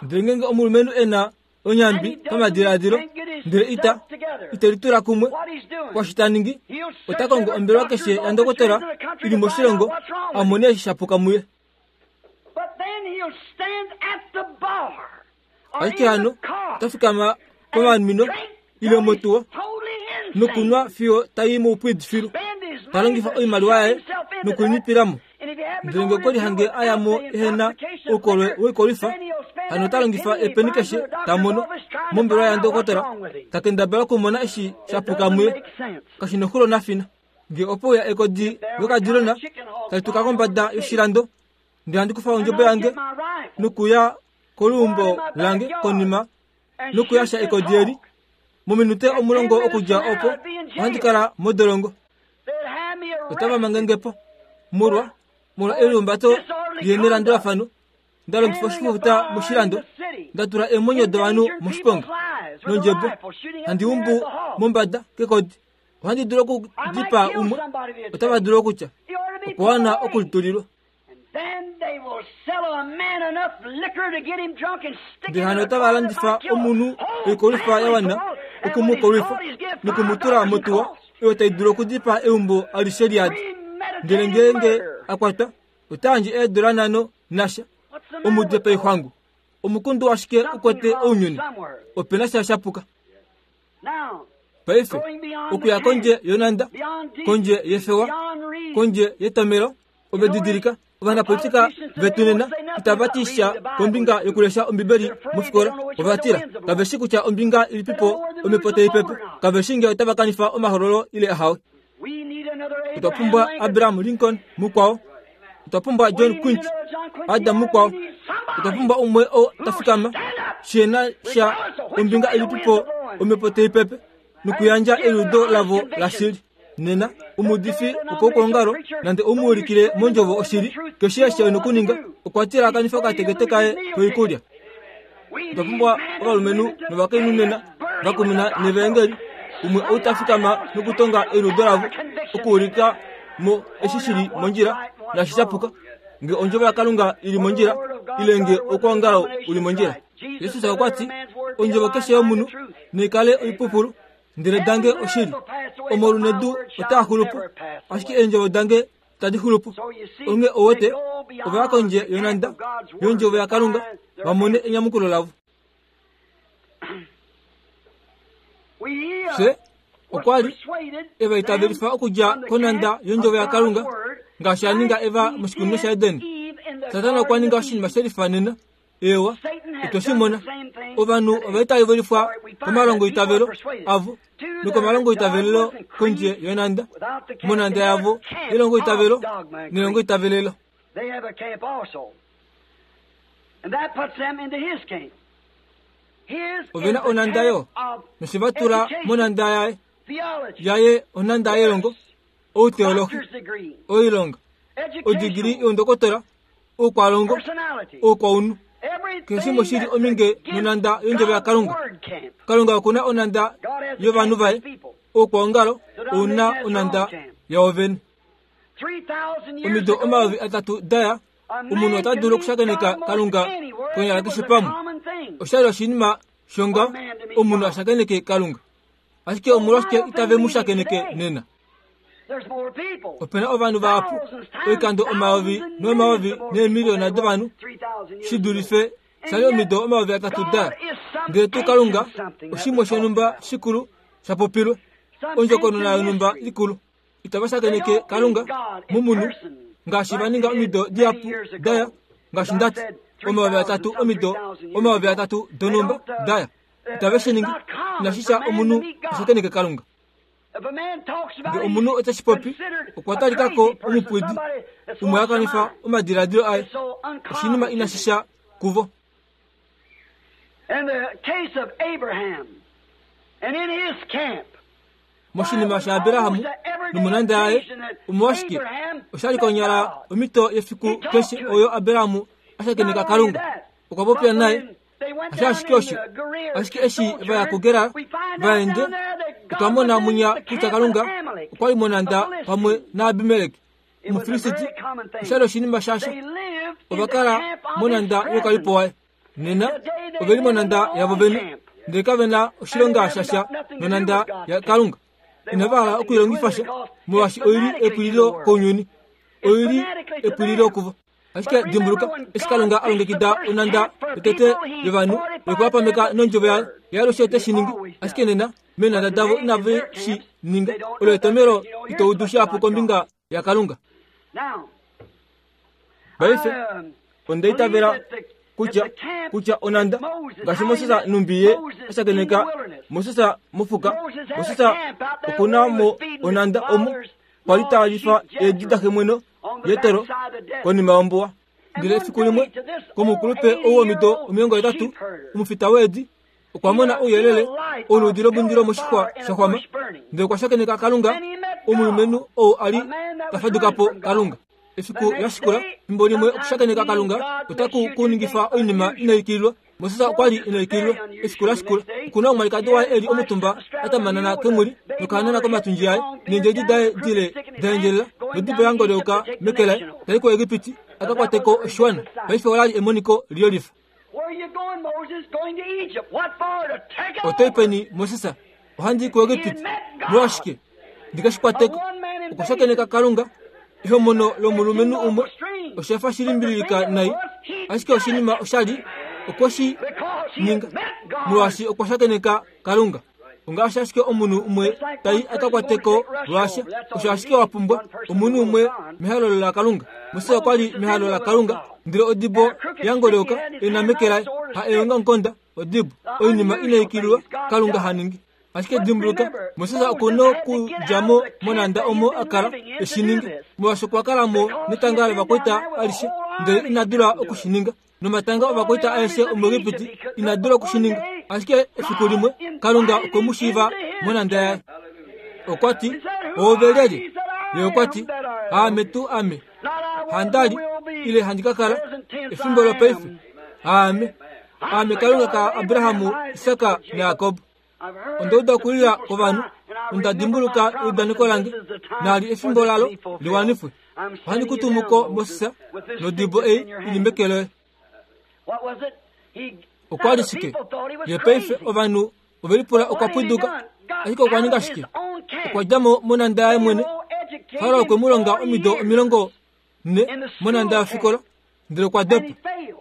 Ndele ngeenge omulumenhu e na onyambi pamadiladilo ndele ita ite litula kumwe kwashi ta ningi, ota kongo ombelewa keshe yandokotola i li moshilongo a mone eshi sha puka muye. Ashike hano ota fikama pomanwino ile motuwa nokunwa fiyo ta i moupwidi filu, ta longifa oimaliwa yaye nokulinipila mo. Ndele nge okwe lihange a ya mo ehe na oukolwe woikolwifa, hano ota longifa epeni keshe ta mono mombelewa yandokotola, ta kendabala okumona eshi sha puka muye. Kashi noxulo nafina. Nge ope uya ekodi lokadilona tali tuka kombada yoshilando, ndele handi kufa ondjebo yange nokuya koluumbo lange konima nokuyasha ekodi eli, mominute omulongo okudja opo ohandi kala modolongo. Otava mange nge po molwa molwa elihumbato lihe nelandulafano nda longifa oshifufuta moshilando, nda tula eemwenyo dovanhu moshiponga nondjebo, handi umbu mombada kekodi. Ohandi dulu okudipaa umwe, otava dulu okutya okwa wana okulitulilwa. Ndele hano otava landifa omunhu oikolwifa ya wana oku mu kolwifa noku mu tula motuwa oyo tai dulu okudipaa eumbo alishe liyadi. Ndele ngeenge a kwatwa, ota yandje eedula nhano nasha. Omudipaixwangu, omukundu ashike u kwete ounyuni. Ope na sha sha puka. Paife, okuya kondje yonhanda, kondje yefewa, kondje yetomelo, ove didilika, ovanapolitika vetu nena itava ti sha kombinga yokulesha Ombibeli mofikola. Ova tila, kave shi kutya ombinga ilipipo omhepo tai pepe. Kave shi nge otava kanifa omahololo ile ahawe. Otwa pumbwa Abraham Lincoln mukwao. Otwa pumbwa John Quincy Adam mukwao. Otwa pumbwa umwe oo ta fikama shi na sha ombinga ilipipo omhepo tai pepe nokuyandja eliudo lavo lashili. Nena, omuudifi wokoukolongalo nande ou mu ulikile mondjovo oshili, keshe eshi e nokuninga, okwa tila a kanife okatekete kaye koikulya. Otwa pumbwa ovalumenhu novakainhu nena va kumina nevaengeli, umwe ou ta fikama nokutonga eliudo lavo, okuulika mo eshi shi li mondjila naashi sha puka, nge ondjovo yaKalunga i li mondjila ile nge oukwaongalo u li mondjila. Jesus okwa ti, Ondjovo keshe yomunhu naikale oipupulu, ndele dange oshili. Omaulu nedu otaa xulu po, ashike eendjovo dange tadi xulu po. Onghee ouwete, ova ya kondje yonhanda yOndjovo yaKalunga va mone enyamukulo lavo. Fye okwa li e va itavelifa okudja konhanda yOndjovo yaKalunga ngaashi a ninga Eva moshikunino shaEden. Satana okwa ninga oshinima she lifanena. Eewa, otwe shi mona. Ovanhu ova itavelifwa komalongoitavelo avo nokomalongoitavelelo kondje yonhanda, monhanda yavo yelongoitavelo nelongoitavelelo. Ove na onhanda yo, noshe va tula monhanda yaye, yaye onhanda yelongo, outeolohi, oilonga, odigili youndokotola, oukwalongo, oukwaunhu. Keshe shimwe shi li ominge nonhanda yondjovo yaKalunga. Kalunga oku na onhanda yovanhu vaye. Oukwaongalo ou na onhanda yao vene. Omido 3000 da ya, omunhu ota dulu okushakeneka Kalunga konyala keshe pamwe. Osha li oshinima shongaho omunhu a shakeneke Kalunga. Ashike omolwashike itave mu shakeneke nena? Ope na ovanhu vahapu, oikando omayovi nomayovi neemiliyona dovanhu, shi dulife sha li omido 3000 da. Ndele tuu Kalunga, oshimwe shonhumba shikulu sha popilwe, ondjokonona yonhumba ikulu. Itava shakeneke Kalunga momunhu ngaashi va ninga omido dihapu da ya, ngaashi nda ti, 3000 omido 3000 donhumba da ya. Itave shi ningi. Inashi sha omunhu a shakeneke Kalunga. Nge omunhu ote shi popi, okwa talika ko omupwidi, umwe a kanifa omadiladilo aye. Oshinima inashi sha kuvo. Moshinima shaAbraham nomonhanda yaye, omolwashike osha li konyala omhito yefiku keshe oyo Abraham a shakeneka Kalunga. Okwa popya naye Hasho ashike osho, ashike eshi va ya kuGerar va ende, otwa mona munya kutya Kalunga okwa li monhanda pamwe naAbimelek, Omufilisti. Osha li oshinima shasha. Ova kala monanda youkalipo waye. Nena ove li monanda yavo vene, ndele kave na oshilonga shasha nonanda yaKalunga. Inava hala okuilongifa sha, molwaashi oi li epwililo kounyuni. Oi li epwililo kuvo. Ashike dimbuluka, eshi Kalunga a longekida onanda yotete yovanhu yokuva pameka nondjovo yaye, ye alushe te shi ningi. Ashike nena, meenanda davo inave shi ninga. Olo etomhelo ito udu shihapu kombinga yaKalunga. Paife, onda itavela kutya kutya onanda ngaashi Moses numbi ye a shakeneka Moses mofuka, Moses oku na mo onanda omo kwa li ta lifa eedi daxemweno Jetero konima yombuwa. Ndele efiku limwe komukulupe ou womido 80, omufita weedi, okwa mona ouyelele oluudi lomundilo moshixwa sha xwama, ndele okwa shakeneka Kalunga, omulumenhu ou a li ta faduka po Kalunga. Efiku la shikula, fimbo limwe okushakeneka Kalunga otaku ku ningifa oinima inai ikililwa. Moses okwa li ina ikililwa. Efiku la shikula, oku na omwalikadi waye e li omutumba a tamanana kemwili nokahanana komatundji aye, neendjedi daye dile da endjelela, nodibo ya ngolyoka meke laye, ta i kuEgipiti a ka kwate ko oshiwana. Paife ola li emoniko liyolifa. Oto i peni, Moses? Ohandi i kuEgipiti. Molwashike? Ndi ke shi kwate ko. Okwa shakeneka Kalunga. Ehomono lomulumenhu umwe osha fa shi limbililika nai, ashike oshinima osha li okwe shi ninga molwaashi okwa shakeneka Kalunga. Ongaashi ashike omunhu umwe tai a ka kwate ko lwaasha, osho ashike wa pumbwa omunhu umwe mehalo laKalunga. Moses okwa li mehalo laKalunga, ndele odibo ya ngolyoka e na meke laye, ha eongamukonda, odibo, oinima inai ikililwa Kalunga ha ningi. Ashike dimbuluka, Moses oku na okudja mo monanda omo a kala e shi ninga, molwaashi okwa kala mo netanga lovakwaita alishe, ndele ina dula oku shi ninga. Nomatanga ovakwaita aeshe omuEgipiti ina dula oku shi ninga. Ashike efiku limwe, Kalunga okwe mu shiiva monanda yaye. Okwa ti, Oove lyelye? Ye okwa ti, Aame tuu ame. Handa li, ile handi ka kala, efimbo lopaife. Aame. Aame Kalunga kaAbraham, Isak naJakob. Onda uda okulila kwovanhu, nonda dimbuluka eudaneko lange, naali efimbo lalo li wanifwe. Ohandi ku tumu ko, Moses, nodibo ei i li meke loye. Okwa li shike? Ye paife ovanhu ove lipula okwa pwiduka, ashike okwa ninga shike? Okwa dja mo monanda yaye mwene. Farao okwe mu longa omido 40 monanda yofikola, ndele okwa dopa.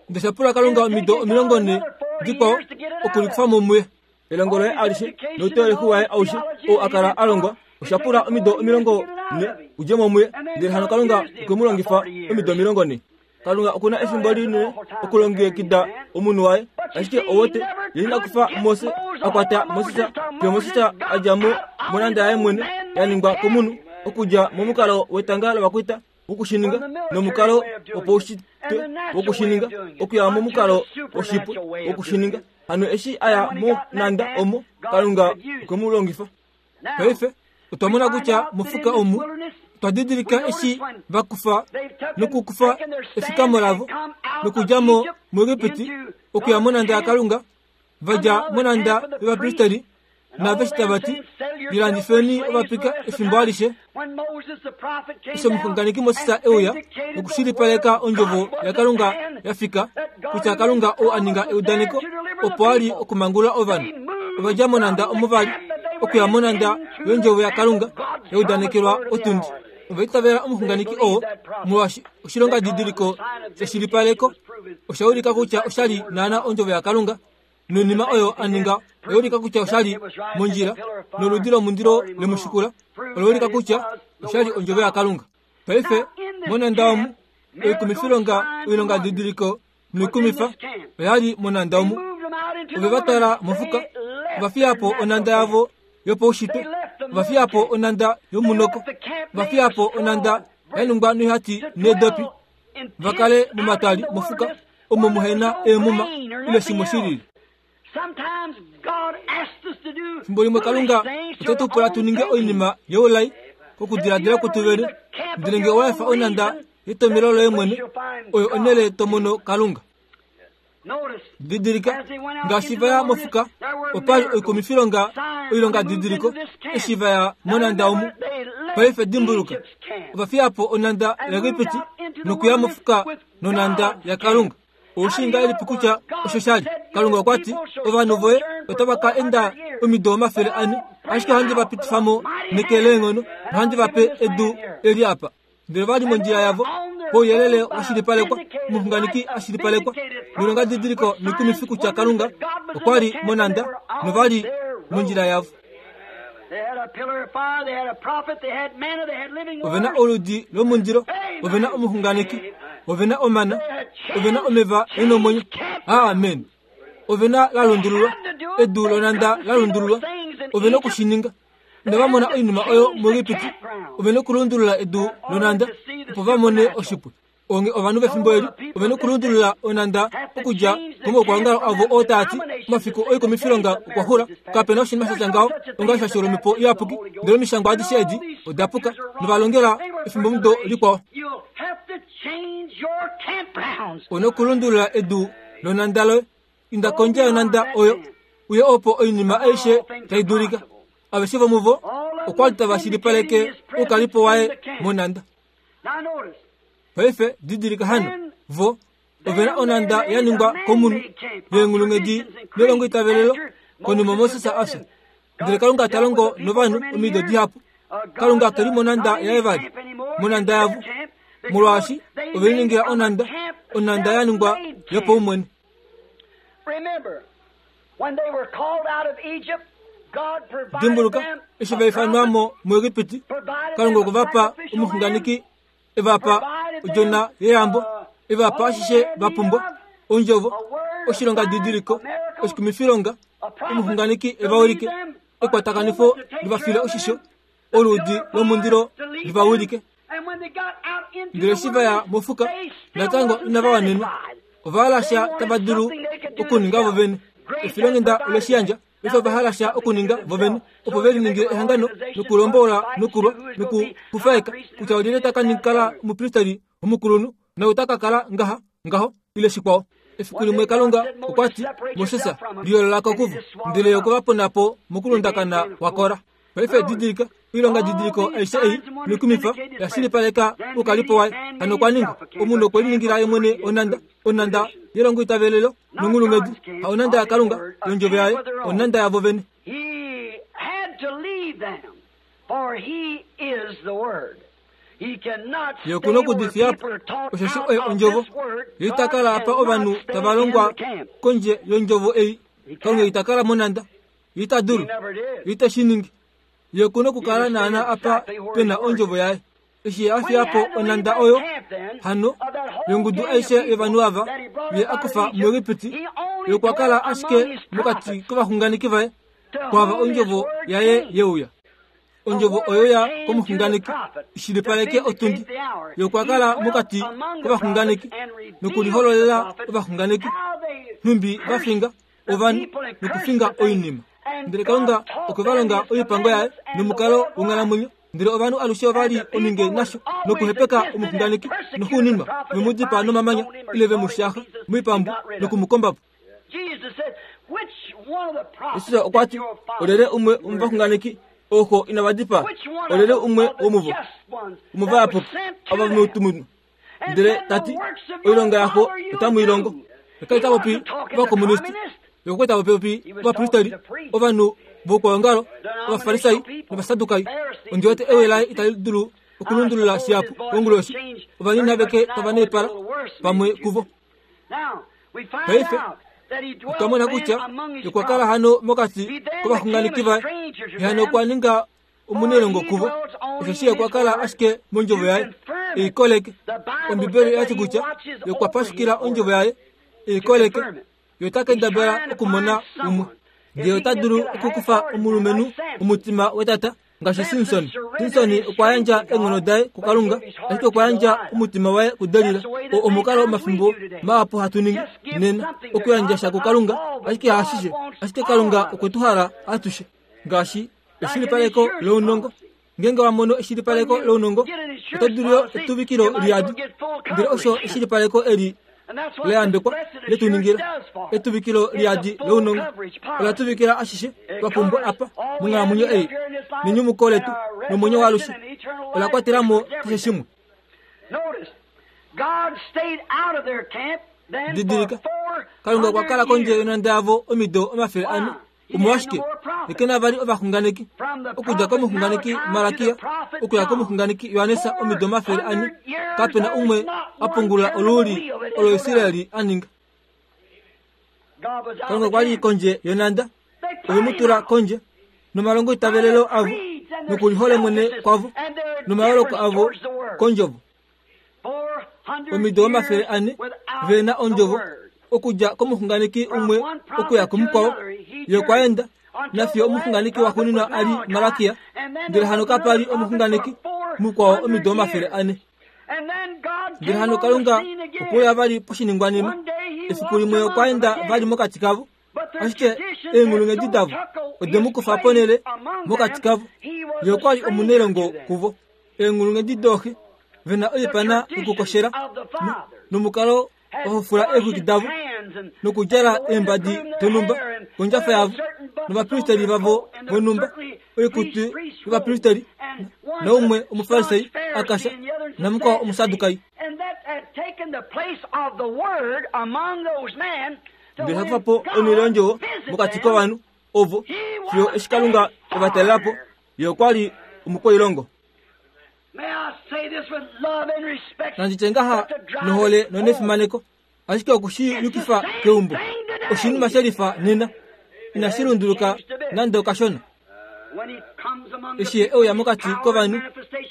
Ndele sha pula Kalunga omido 40 dikwao okulikufa mo muye. Elongo loye alishe nouteoleki waye aushe ou a kala a longwa osha pula omido 40 u dje mo muye, ndele hano Kalunga okwe mu longifa omido 40. Kalunga oku na efimbo linene okulongekida omunhu waye, ashike owote ye ina kufa Mose a kwata Moses fiyo Moses a dja mo monanda yaye mwene ya ningwa komunhu okudja momukalo wetanga lovakwaita wokushininga nomukalo wopaushitwe wokushininga okuya momukalo woshipwe wokushininga. Hano eshi a ya monanda omo, Kalunga okwe mu longifa. Paife otwa mona kutya mofuka omu otwa didilika eshi va kufa nokukufa efikamo lavo nokudja mo muEgipiti okuya monanda yaKalunga, va dja monanda yovapristeri naaveshe tava ti, Lilandifeni ovapika efimbo alishe. Eshi omuxunganeki Moses e uya nokushilipaleka ondjovo yaKalunga ya fika, kutya Kalunga ou a ninga eudaneko opo a li okumangulula ovanhu, ova dja monanda omo va li okuya monanda yondjovo yaKalunga ya udanekelwa otundi. Ova itavela omuxunganeki oo molwaashi oshilongadidiliko sheshilipaleko osha ulika kutya osha li naana ondjovo yaKalunga noinima oyo a ninga oya ulika kutya osha li mondjila, noludi lomundilo le mu shikula ola ulika kutya osha li ondjovo yaKalunga. Paife monanda omu oikumifilonga oilongadidiliko noikumifa oya li monanda omu. Ove va twala mofuka, ova fiya po onanda yavo yopaushitwe, ova fiya po onanda yomunoko, ova fiya po onanda ya ningwa noihati needopi, va kale momatwali mofuka omo muhe na eemuma ile shimwe shi lili. Fimbo limwe Kalunga ote tu pula tu ninge oinima youlai kokudiladila kwetu vene, ndele ngee owa efa onanda yetomhelo loye mwene, oyo onhele to mono Kalunga. Didilika, ngaashi va ya mofuka, opa li oikumifilonga oilongadidiliko eshi va ya monanda omu. Paife dimbuluka, ova fiya po onhanda yaEgipiti nokuya mofuka nonhanda yaKalunga. Ou shii ngahelipi kutya osho sha li? Kalunga okwa ti, Ovanhu voye otava ka enda omido 400, ashike ohandi va pitifa mo neke leenghono nohandi va pe edu eli apa. Ndele va li mondjila yavo, pouyelele wa shilipalekwa, omuxunganeki a shilipalekwa, noilongadidiliko noikumifi kutya Kalunga okwa li monhanda, nova li mondjila yavo. Ove na oludi lomundilo, ove na omuxunganeki, ove na omana, ove na omeva e nomwenyo. Amen. Ove na la lundululwa, edu lonhanda la lundululwa. Ove na oku shi ninga. Inava mona oinima oyo muEgipiti. Ove na okulundulula edu lonhanda opo va mone oshipwe. Onge ovanhu vefimbo eli ove na okulundulula onhanda okudja komaukwaongalo avo oo taa ti omafiku oikumifilonga okwa xula. Kape na oshinima sha tya ngaho onga eshasho lOmhepo Iyapuki. Ndele omishangwa adishe edi oda puka nova longela efimbomudo likwao. U na okulundulula edu lonhanda loye. Inda kondje yonhanda oyo, uye opo oinima aishe tai dulika. Aveshe vomuvo okwa li tava shilipaleke oukalipo waye monhanda. Paife didilika hano, vo ove na onhanda ya ningwa komunhu yeenghulunghedi nelongoitavelelo konima Moses a fya. Ndele Kalunga ta longo novanhu omido dihapu. Kalunga ke li monhanda yaye vali, monhanda yavo, molwaashi ove liningila onhanda, onhanda ya ningwa yopaumwene. Dimbuluka, eshi va ifanwa mo muEgipiti, Kalunga okwe va pa omuxunganeki, e va pa odjona yeyambo, e va pa ashishe va pumbwa, ondjovo, oshilongadidiliko, oshikumifilonga, omuxunganeki e va wilike, ekwatakanifo li va file oshisho, oluudi lomundilo li va wilike. Ndele eshi va ya mofuka, natango inava wanenwa. Ova hala sha tava dulu okuninga vo vene. Efilonghenda ole shi yandja. Paife ova hala sha okuninga vo vene, opo ve liningile ehangano nokulombola nokulwa nokufufaeka kutya olyelye ta ka kala omupristeri omukulunhu nou ta ka kala ngaha, ngaho, ile shikwao. Efiku limwe Kalunga okwa ti, Moses, liyoolola ko kuvo. Ndele ye okwe va pona po mokulundakana kwaKora. Paife didilika, oilonga didiliko aishe ei noikumifa ya shilipaleka oukalipo waye. Hano okwa ninga omunhu okwe liningila ye mwene onhanda, onhanda yelongoitavelelo nonghulunghedi, ha onhanda yaKalunga, yondjovo yaye, onhanda yavo vene. Ye oku na okudifiya po, osheshi oye ondjovo. Ye ita kala apa ovanhu tava longwa kondje yondjovo ei. Kalunga ita kala monhanda. Ita dulu. Ite shi ningi. Ye oku na okukala naana apa pe na ondjovo yaye. Eshi ye a fiya po onhanda oyo, hano, yongudu aishe yovanhu ava ye a kufa muEgipiti, ye okwa kala ashike mokati kovaxunganeki vaye, kwaava ondjovo yaye ye uya. Ondjovo oyo ya komuxunganeki ishilipaleke otundi. Ye okwa kala mokati kovaxunganeki nokulihololela ovaxunganeki, nhumbi va finga ovanhu nokufinga oinima. Ndele Kalunga okwe va longa oipango yaye nomukalo wonghalamwenyo. Ndele ovanhu alushe ova li ominge nasho nokuhepeka omuxunganeki, noxuuninwa ve mu dipaa nomamanya ile ve mu shaxa moipambu noku mu komba po. Jesus okwa ti, Olyelye umwe womovaxunganeki ooxo inava dipaa? Olyelye umwe womuvo womovayapuki ava vomoutumunhu? Ndele ta ti, Oilonga yaxo otamu i longo. Ye ta popi ovakomuniste, ye okwa ta popi ovapristeri, ovanhu voukwaongalo, Ovafarisai nOvasadukai. Ondi wete ewi laye itali dulu okulundulula shihapu konguloshi. Ovanini aveke tava naipala pamwe kuvo. Paife otwa mona kutya okwa kala hano mokati kovaxunganeki vaye, ye hano okwa ninga omunailongo kuvo, osheshi okwa kala ashike mondjovo yaye e i koleke. Ombibeli oya ti kutya ye okwa pashukila ondjovo yaye e i koleke. Ye ota kendabala okumona umwe. Ndele ota dulu okukufa omulumenhu omutima wetata ngaashi Simson. Simson okwa yandja eenghono daye kuKalunga, ashike okwa yandja omutima waye kuDelila. Oo omukalo omafimbo mahapu hatu ningi nena, okuyandja sha kuKalunga, ashike haashishe. Ashike Kalunga okwe tu hala atushe. Ngaashi eshilipaleko lounongo. Ngeenge wa mono eshilipaleko lounongo, oto dulu yo etuvikilo liyadi. Ndele osho eshilipaleko eli la yambekwa le tu ningila. Etuvikilo liyadi lounongo ola tuvikila ashishe twa pumbwa apa monghalamwenyo ei, nenyumuko letu nomwenyo waalushe. Ola kwatela mo keshe shimwe. Didilika, Kalunga okwa kala kondje yonhanda yavo omido 400. Omolwashike? Ye ke na vali ovaxunganeki. Okudja komuxunganeki Malakia okuya komuxunganeki Johannes omido 400, kape na umwe a pungulula oluuli olo Israel a ninga. Kalunga okwa li kondje yonhanda. Ove mu tula kondje nomalongoitavelelo avo nokulihole mwene kwavo nomayooloko avo kondjovo. Omido 400 ve na ondjovo okudja komuxunganeki umwe okuya kumukwao. Ye okwa enda nafiyo omuxunganeki waxuuninwa a li Malakia, ndele hano kapa li omuxunganeki mukwao omido 400. Ndele hano Kalunga okwe uya vali poshiningwanima. Efiku limwe okwa enda vali mokati kavo, ashike eenghulunghedi davo ode mu kufa ponhele mokati kavo. Ye okwa li omunailongo kuvo. Eenghulunghedi dooxe ve na oipana yokukoshela nomukalo wahufula eexwiki davo nokudjala eembadi donhumba kondjafa yavo novapristeri vavo vonhumba oikutu yovapristeri naumwe omufarisai akasha namukwao omusadukai. Ndele hakufa po onhele yondjovo mokati kovanhu ovo fiyo eshi Kalunga e va talela po. Ye okwa li omukwailongo. Nandi tye ngaha nohole nonefimaneko, ashike oku shi yukifa keumbo oshinima she lifa nena. Inashi lunduluka nande okashona. Eshi ye e uya mokati kovanhu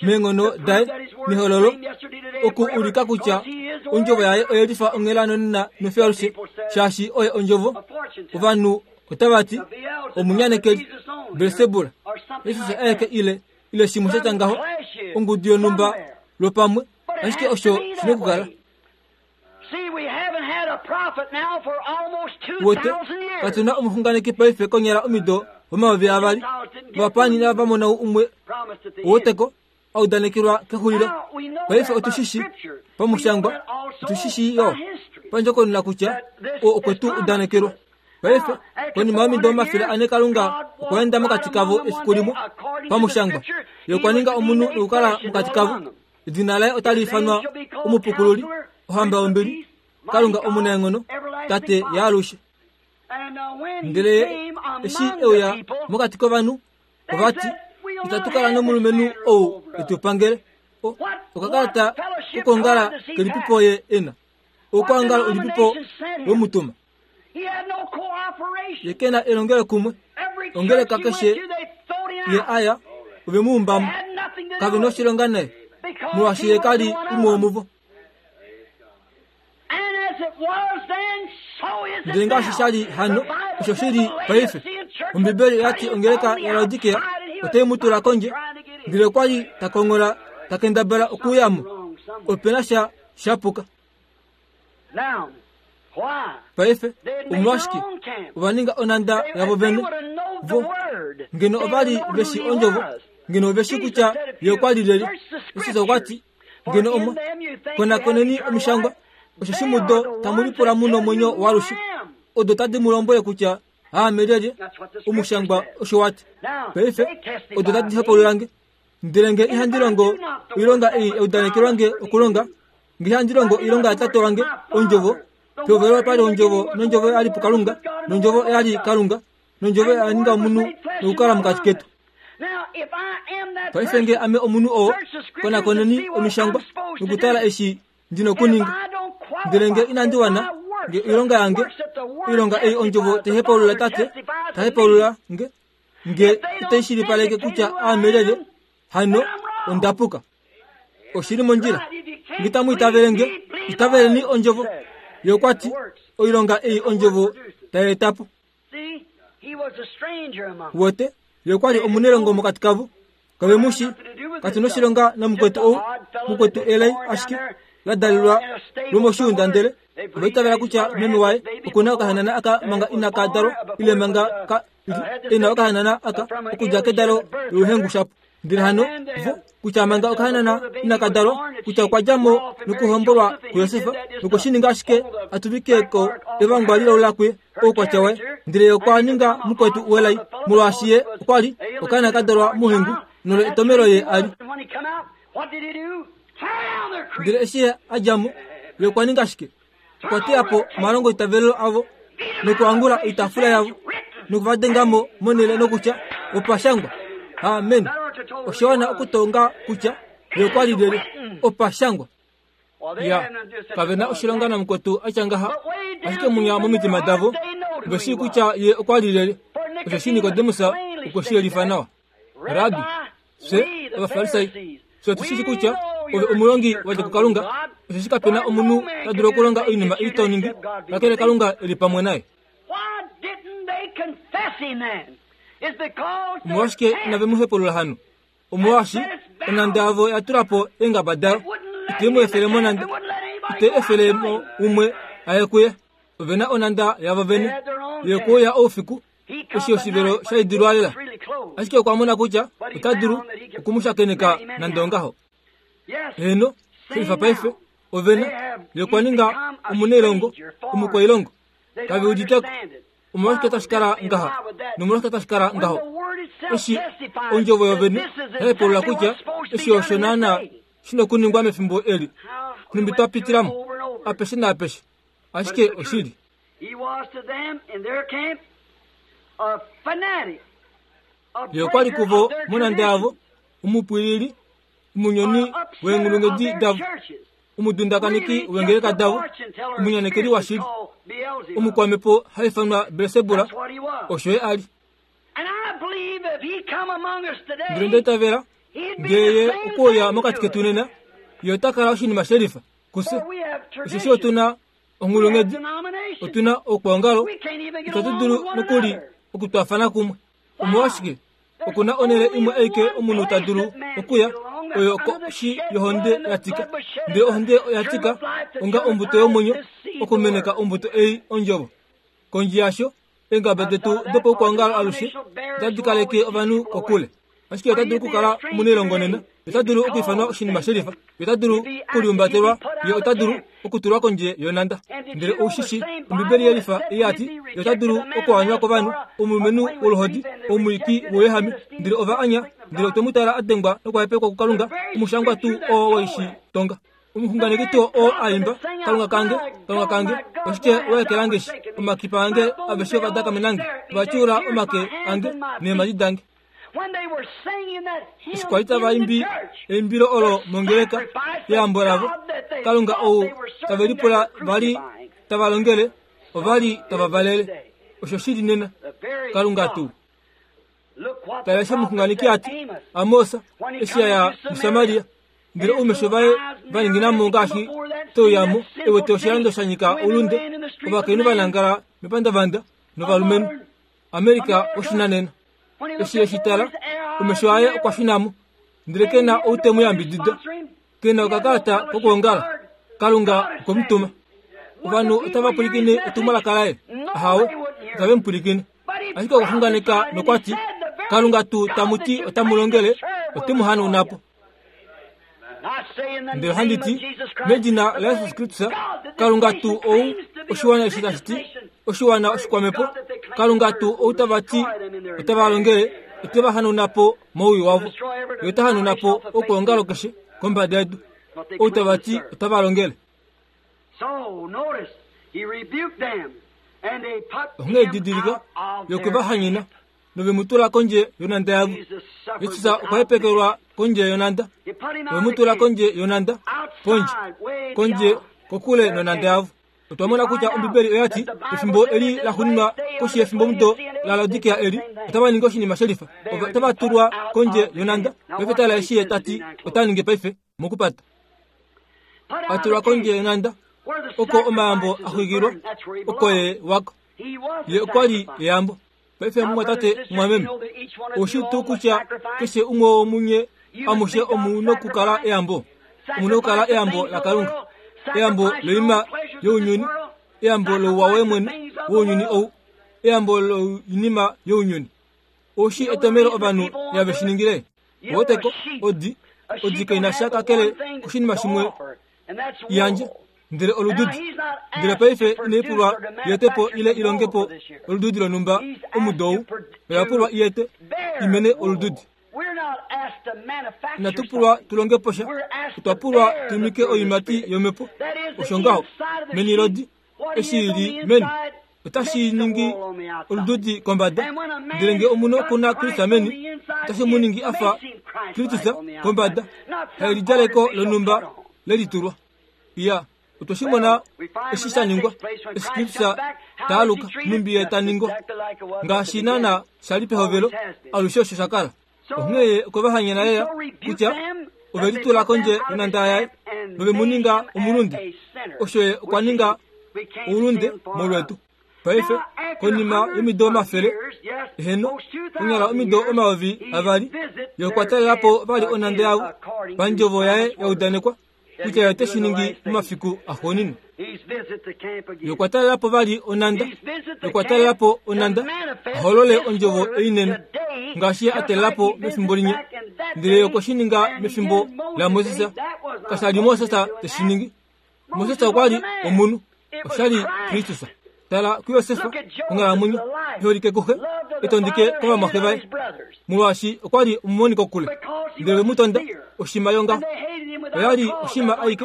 meenghono daye nehololo oku ulika kutya ondjovo yaye oye lifa onghela nonena nofiyo alushe, shaashi oye ondjovo, ovanhu otava ti omunyanekeli Belsebula, Jesus aeke ile ile shimwe sha tya ngaho, ongudu yonhumba lwopamwe, ashike osho shi nokukala. Wote, katu na omuxunganeki paife konyala omido 2000, ovapaani inava mona umwe woteko a udanekelwa kexulilo. Paife otu shi shi pamushangwa, otu shi shii yo pandjokonona kutya oo okwe tu udanekelwa. Paife, konima yomido 400 Kalunga okwa enda mokati kavo efiku limwe, pamushangwa. Ye okwa ninga omunhu nokukala mokati kavo. Edina laye otali ifanwa Omupukululi, Ohamba yombili, Kalunga omunaenghono, Tate yaalushe. Ndele ye eshi e uya mokati kovanhu, ova ti, Itatu kala nomulumenhu ou e tu pangele. Okakalata kokwoongala kelipipo ye e na? Oukwaongalo ulipipo wemutuma? Ye ke na elongelokumwe. Ongeleka keshe ye a ya, ove mu umba mo. Kave noshilonga naye, molwaashi ye ka li umwe womuvo. Ndele ngaashi sha li hano, osho shi li paife. Ombibeli oya ti ongeleka yaLaodikea otai mu tula kondje, ndele okwa li ta konghola ta kendabala okuuya mo. Ope na sha sha puka. Paife, omolwashike ova ninga onhanda yavo vene? Vo, ngeno ova li ve shi ondjovo, ngeno ove shi kutya ye okwa li lyelye. Jesus okwa ti, ngeno omwa konakoneni omishangwa, osheshi mudo tamu lipula mu nomwenyo waalushe, odo tadi mu lombwele kutya aame lyelye. Omushangwa osho wa ti. Paife, odo tadi hopaulula nge. Ndele nge ihandi longo oilonga ei ya udanekelwa nge okulonga, nge ihandi longo oilonga yaTate wange, Ondjovo, pehovelo opa li Ondjovo, nOndjovo oya li puKalunga, nOndjovo oya li Kalunga, nOndjovo oya ninga omunhu nokukala mokati ketu. Paife nge ame omunhu oo, konakoneni Omishangwa nokutala eshi ndi nokuninga. Ndele nge inandi wana, nge oilonga yange, oilonga ei Ondjovo tai hepaulula Tate, ta hepaulula nge, nge itai shilipaleke kutya aame lyelye, hano onda puka. Oshi li mondjila. Nge tamu itavele nge, itaveleni ondjovo. Ye okwa ti, Oilonga ei ondjovo tai eta po. Wote, ye okwa li omunelongo mokati kavo. Kave mu shi, katu noshilonga namukwetu ou, mukwetu elai ashike la dalelwa lwomoshiunda ndele ova itavela kutya meme waye oku na okahanana aka manga inaka dalwa ile manga ka e na okahanana aka okudja kedalo louhengu shapo. Ndele hano vo kutya manga okahanana inaka dalwa kutya okwa dja mo nokuhombolwa kuJosef nokwe shi ninga ashike a tuvike ko evangwa lilaula kuye oukwatya waye. Ndele ye okwa ninga mukwetu welai molwaashi ye okwa li okaana ka dalwa mouhengu. Nolo etomelo ye a li. Ndele eshi ye a dja mo, ye okwa ninga shike? Okwa teya po omalongoitavelelo avo nokuangula oitaafula yavo noku va denga mo monhele nokutya, Opa shangwa. Amen. Osha wana okutonga kutya ye okwa li lyelye. Opa shangwa. Ya, kave na oshilonga namukwetu a tya ngaha, ashike munya momitima davo ove shii kutya ye okwa li lyelye. Osheshi Nikodemus okwe shi yelifa nawa. Rabbi, fye Ovafarisai, fye otu shi shii kutya ove omulongi wa dja kuKalunga, osheshi kape na omunhu ta dulu okulonga oinima ei to ningi, kakele Kalunga e li pamwe naye. Omolwashike inave mu hepulula hano? Omolwaashi onhanda yavo oya tula po eengaba dayo, ite mu efele mo nande, ite efele mo umwe a ye kuye. Ove na onhanda yavo vene yokuuya oufiku eshi oshivelo sha idilwa lela. Ashike okwa mona kutya ota dulu oku mu shakeneka nande ongaho. Heeno, shelifa paife, ove na. Ye okwa ninga omunailongo, omukwailongo. Kave udite ko. Omolwashike tashi kala ngaha nomolwashike tashi kala ngaho? Eshi ondjovo yovene ya hepulula kutya eshi osho naanaa shi na okuningwa mefimbo eli, nhumbi twa pitila mo apeshe naapeshe, ashike oshili. Ye okwa li kuvo monhanda yavo, omupwilili, omunyoni weenghulunghedi davo, omudundakaniki weengeleka davo, omunyanekeli washili, omukwamhepo ha ifanwa Belsebula, osho ye a li. Ndele nda itavela, ngee ye okwe uya mokati ketu nena, ye ota kala oshinima shelifa kufye, osheshi otu na onghulunghedi, otu na oukwaongalo, itatu dulu nokuli okutwaafana kumwe. Omolwashike? Oku na onhele imwe aike omunhu ta dulu okuya, oyo koshi yohonde ya tika. Ndele ohonde oya tika onga ombuto yomwenyo okumeneka ombuto ei ondjovo. Kondje yasho, eengaba detu dopaukwaongalo alushe otadi kaleke ovanhu kokule. Ashike ota dulu okukala omunailongo nena, ota dulu okwiifanwa oshinima shelifa, ye ota dulu okuliumbatelwa, ye ota dulu okutulwa kondje yonhanda. Ndele ou shi shii, Ombibeli yelifa ya ti, ye ota dulu okuanywa kovanhu, omulumenhu woluhodi, omwiiki wouyehame. Ndele ova anya, ndele otwe mu tala a dengwa nokuhepekwa kuKalunga, omushangwa tuu oo we shi tonga. Omuxunganeki tuu oo a imba, Kalunga kange, Kalunga kange, oshike wa ekela nge shi? Omakipa ange aveshe ova dakamena nge, ova tyuula omake ange neemhadi dange. Eshi kwa li tava imbi eimbilo olo mongeleka yeyambo lavo, Kalunga ou tave lipula va li tava longele, ova li tava valele. Osho shi li nena. Kalunga tuu. Tala eshi omuxunganeki a ti, Amos, eshi a ya muSamaria, ndele oumesho vaye va ningina mo ngaashi te uya mo, e wete oshilando sha nyika oulunde, ovakainhu va nangala mepandavanda novalumenhu. Amerika oshinanena. Eshi e shi tala, omesho aye okwa shuna mo, ndele ke na ou te mu yambidida. Ke na okakalata kokwoongala. Kalunga okwe mu tuma. Ovanhu otava pwilikine etumwalaka laye? Ahawe, itave mu pwilikine. Ashike okwa xunganeka nokwa ti, Kalunga tuu tamu ti otamu longele, ote mu hanauna po. Ndele ohandi ti, medina laJesus Kristus, Kalunga tuu ou oshiwana eshi tashi ti, oshiwana oshikwamhepo, Kalunga tuu ou tava ti otava longele, ote va hanauna po mowii wavo. Ye ota hanauna po okwoongalo keshe kombada yedu, ou tava ti otava longele. Onghee didilika, ye okwe va hanyena nove mu tula kondje yonhanda yavo. Jesus okwa hepekelwa kondje yonhanda. Ove mu tula kondje yonhanda, pondje, kondje kokule nonhanda yavo. Otwa mona kutya Ombibeli oya ti, pefimbo eli la xuninwa koshi yefimbomudo laLaodikea eli, otava ningi oshinima shelifa. Ova otava tulwa kondje yonhanda. Paife tala eshi ye ta ti ota ningi paife, mokupata. A tulwa kondje yonhanda, oko omayambo a xwikilwa, oko ye wako. Ye okwa li eyambo. Paife mumwatate mumwameme, oushi tuu kutya keshe umwe womunye amushe omu nokukala eyambo? Omu nokukala eyambo laKalunga, eyambo loinima younyuni, eyambo louwa woye mwene wounyuni ou, eyambo loinima younyuni. Oushi etomhelo ovanhu ihave shi ningile? Oweteko, odi, odi kai na sha kakele koshinima shimwe yandje ndele olududi ndele paife inai pulwa i po ile i longe po olududi lonhumba omudo ou oya pulwa i ete i mene olududi. Inatu pulwa tu longe po sha, otwa pulwa tu imike oiimati yOmhepo. Osho ngaho, meni lodi, eshi i li meni, otashi ningi olududi kombada. Ndele nge omunhu oku na Kristus meni, otashi mu ningi a fa Kristus kombada, haelidjaleko lonhumba le litulwa. Iya, otwe shi mona eshi sha ningwa, eshi Kristus ta aluka, nhumbi Ye ta ningwa. Ngaashi naana sha li pehovelo, alushe osho sha kala. Onghee Ye okwe va hanyena lela kutya ove litula kondje yonhanda yaye nove mu ninga omulunde. Osho Ye okwa ninga oulunde molwetu. Paife, konima yomido omafele, eheno, konyala omido 2000, Ye okwa talela po vali onhanda yavo pandjovo yaye ya udanekwa kutya Ye ote shi ningi momafiku axuuninwa. Ye okwa talela po vali onhanda, Ye okwa talela po onhanda a holole ondjovo ei nena, ngaashi Ye a talela po mefimbo linya. Ndele Ye okwe shi ninga mefimbo laMoses. Kasha li Moses te shi ningi. Moses okwa li omunhu, osha li Kristus. Tala kuJosef, onghalamwenyo i holike kuxe, e tondike kovamwaxe vaye, molwaashi okwa li omumoni kokule. Ndele ve mu tonda, oshima yongaho. Oya li oshima aike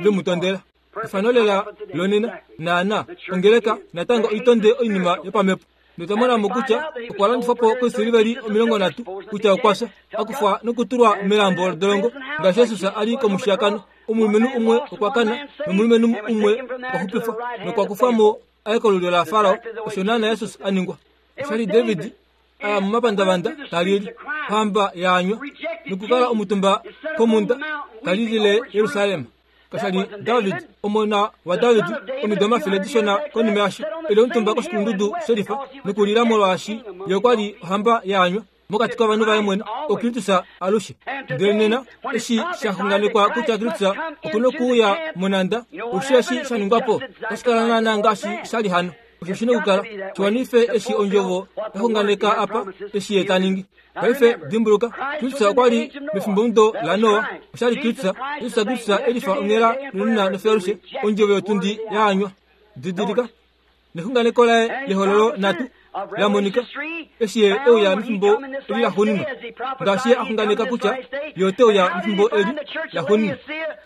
ve mu tondela. Efano lela lonena, naana, ongeleka natango oi tonde oinima yopamhepo. Notwa mona mo kutya okwa landifwa po koisiliveli 30, kutya okwa fya, a kufwa nokutulwa melambo lodolongo, ngaashi Jesus a li komushiyakano. Omulumenhu umwe okwa kana, nomulumenhu umwe okwa xupifwa, nokwa kufwa mo a ye kolulyo laFarao. Osho naana Jesus a ningwa. Osha li David a ya momapandavanda ta lili, ohamba ya anywa, nokukala omutumba komhunda ta lilile Jerusalem. Kasha li David, omona waDavid, omido omafele dishona konima yasho, e li omutumba koshikulundudu shelifa nokulila molwaashi ye okwa li ohamba ya anywa mokati kovanhu vaye mwene, oKristus alushe. Ndele nena, eshi sha xunganekwa kutya Kristus oku nokuuya monhanda, osho eshi sha ningwa po, otashi kala naanaa ngaashi sha li hano. Osho shi nokukala shi wanife eshi ondjovo ya xunganeka apa, eshi ye ta ningi. Paife dimbuluka, Kristus okwa li mefimbomudo laNoa. Osha li Kristus, Jesus Kristus e lifa onghela nonena nofyalushe, ondjovo yotundi ya anywa. Didilika, nexunganeko laye lehololo natu la monika eshi ye e uya mefimbo eli laxuuninwa, ngaashi ye a xunganeka kutya ye ote uya mefimbo eli laxuuninwa.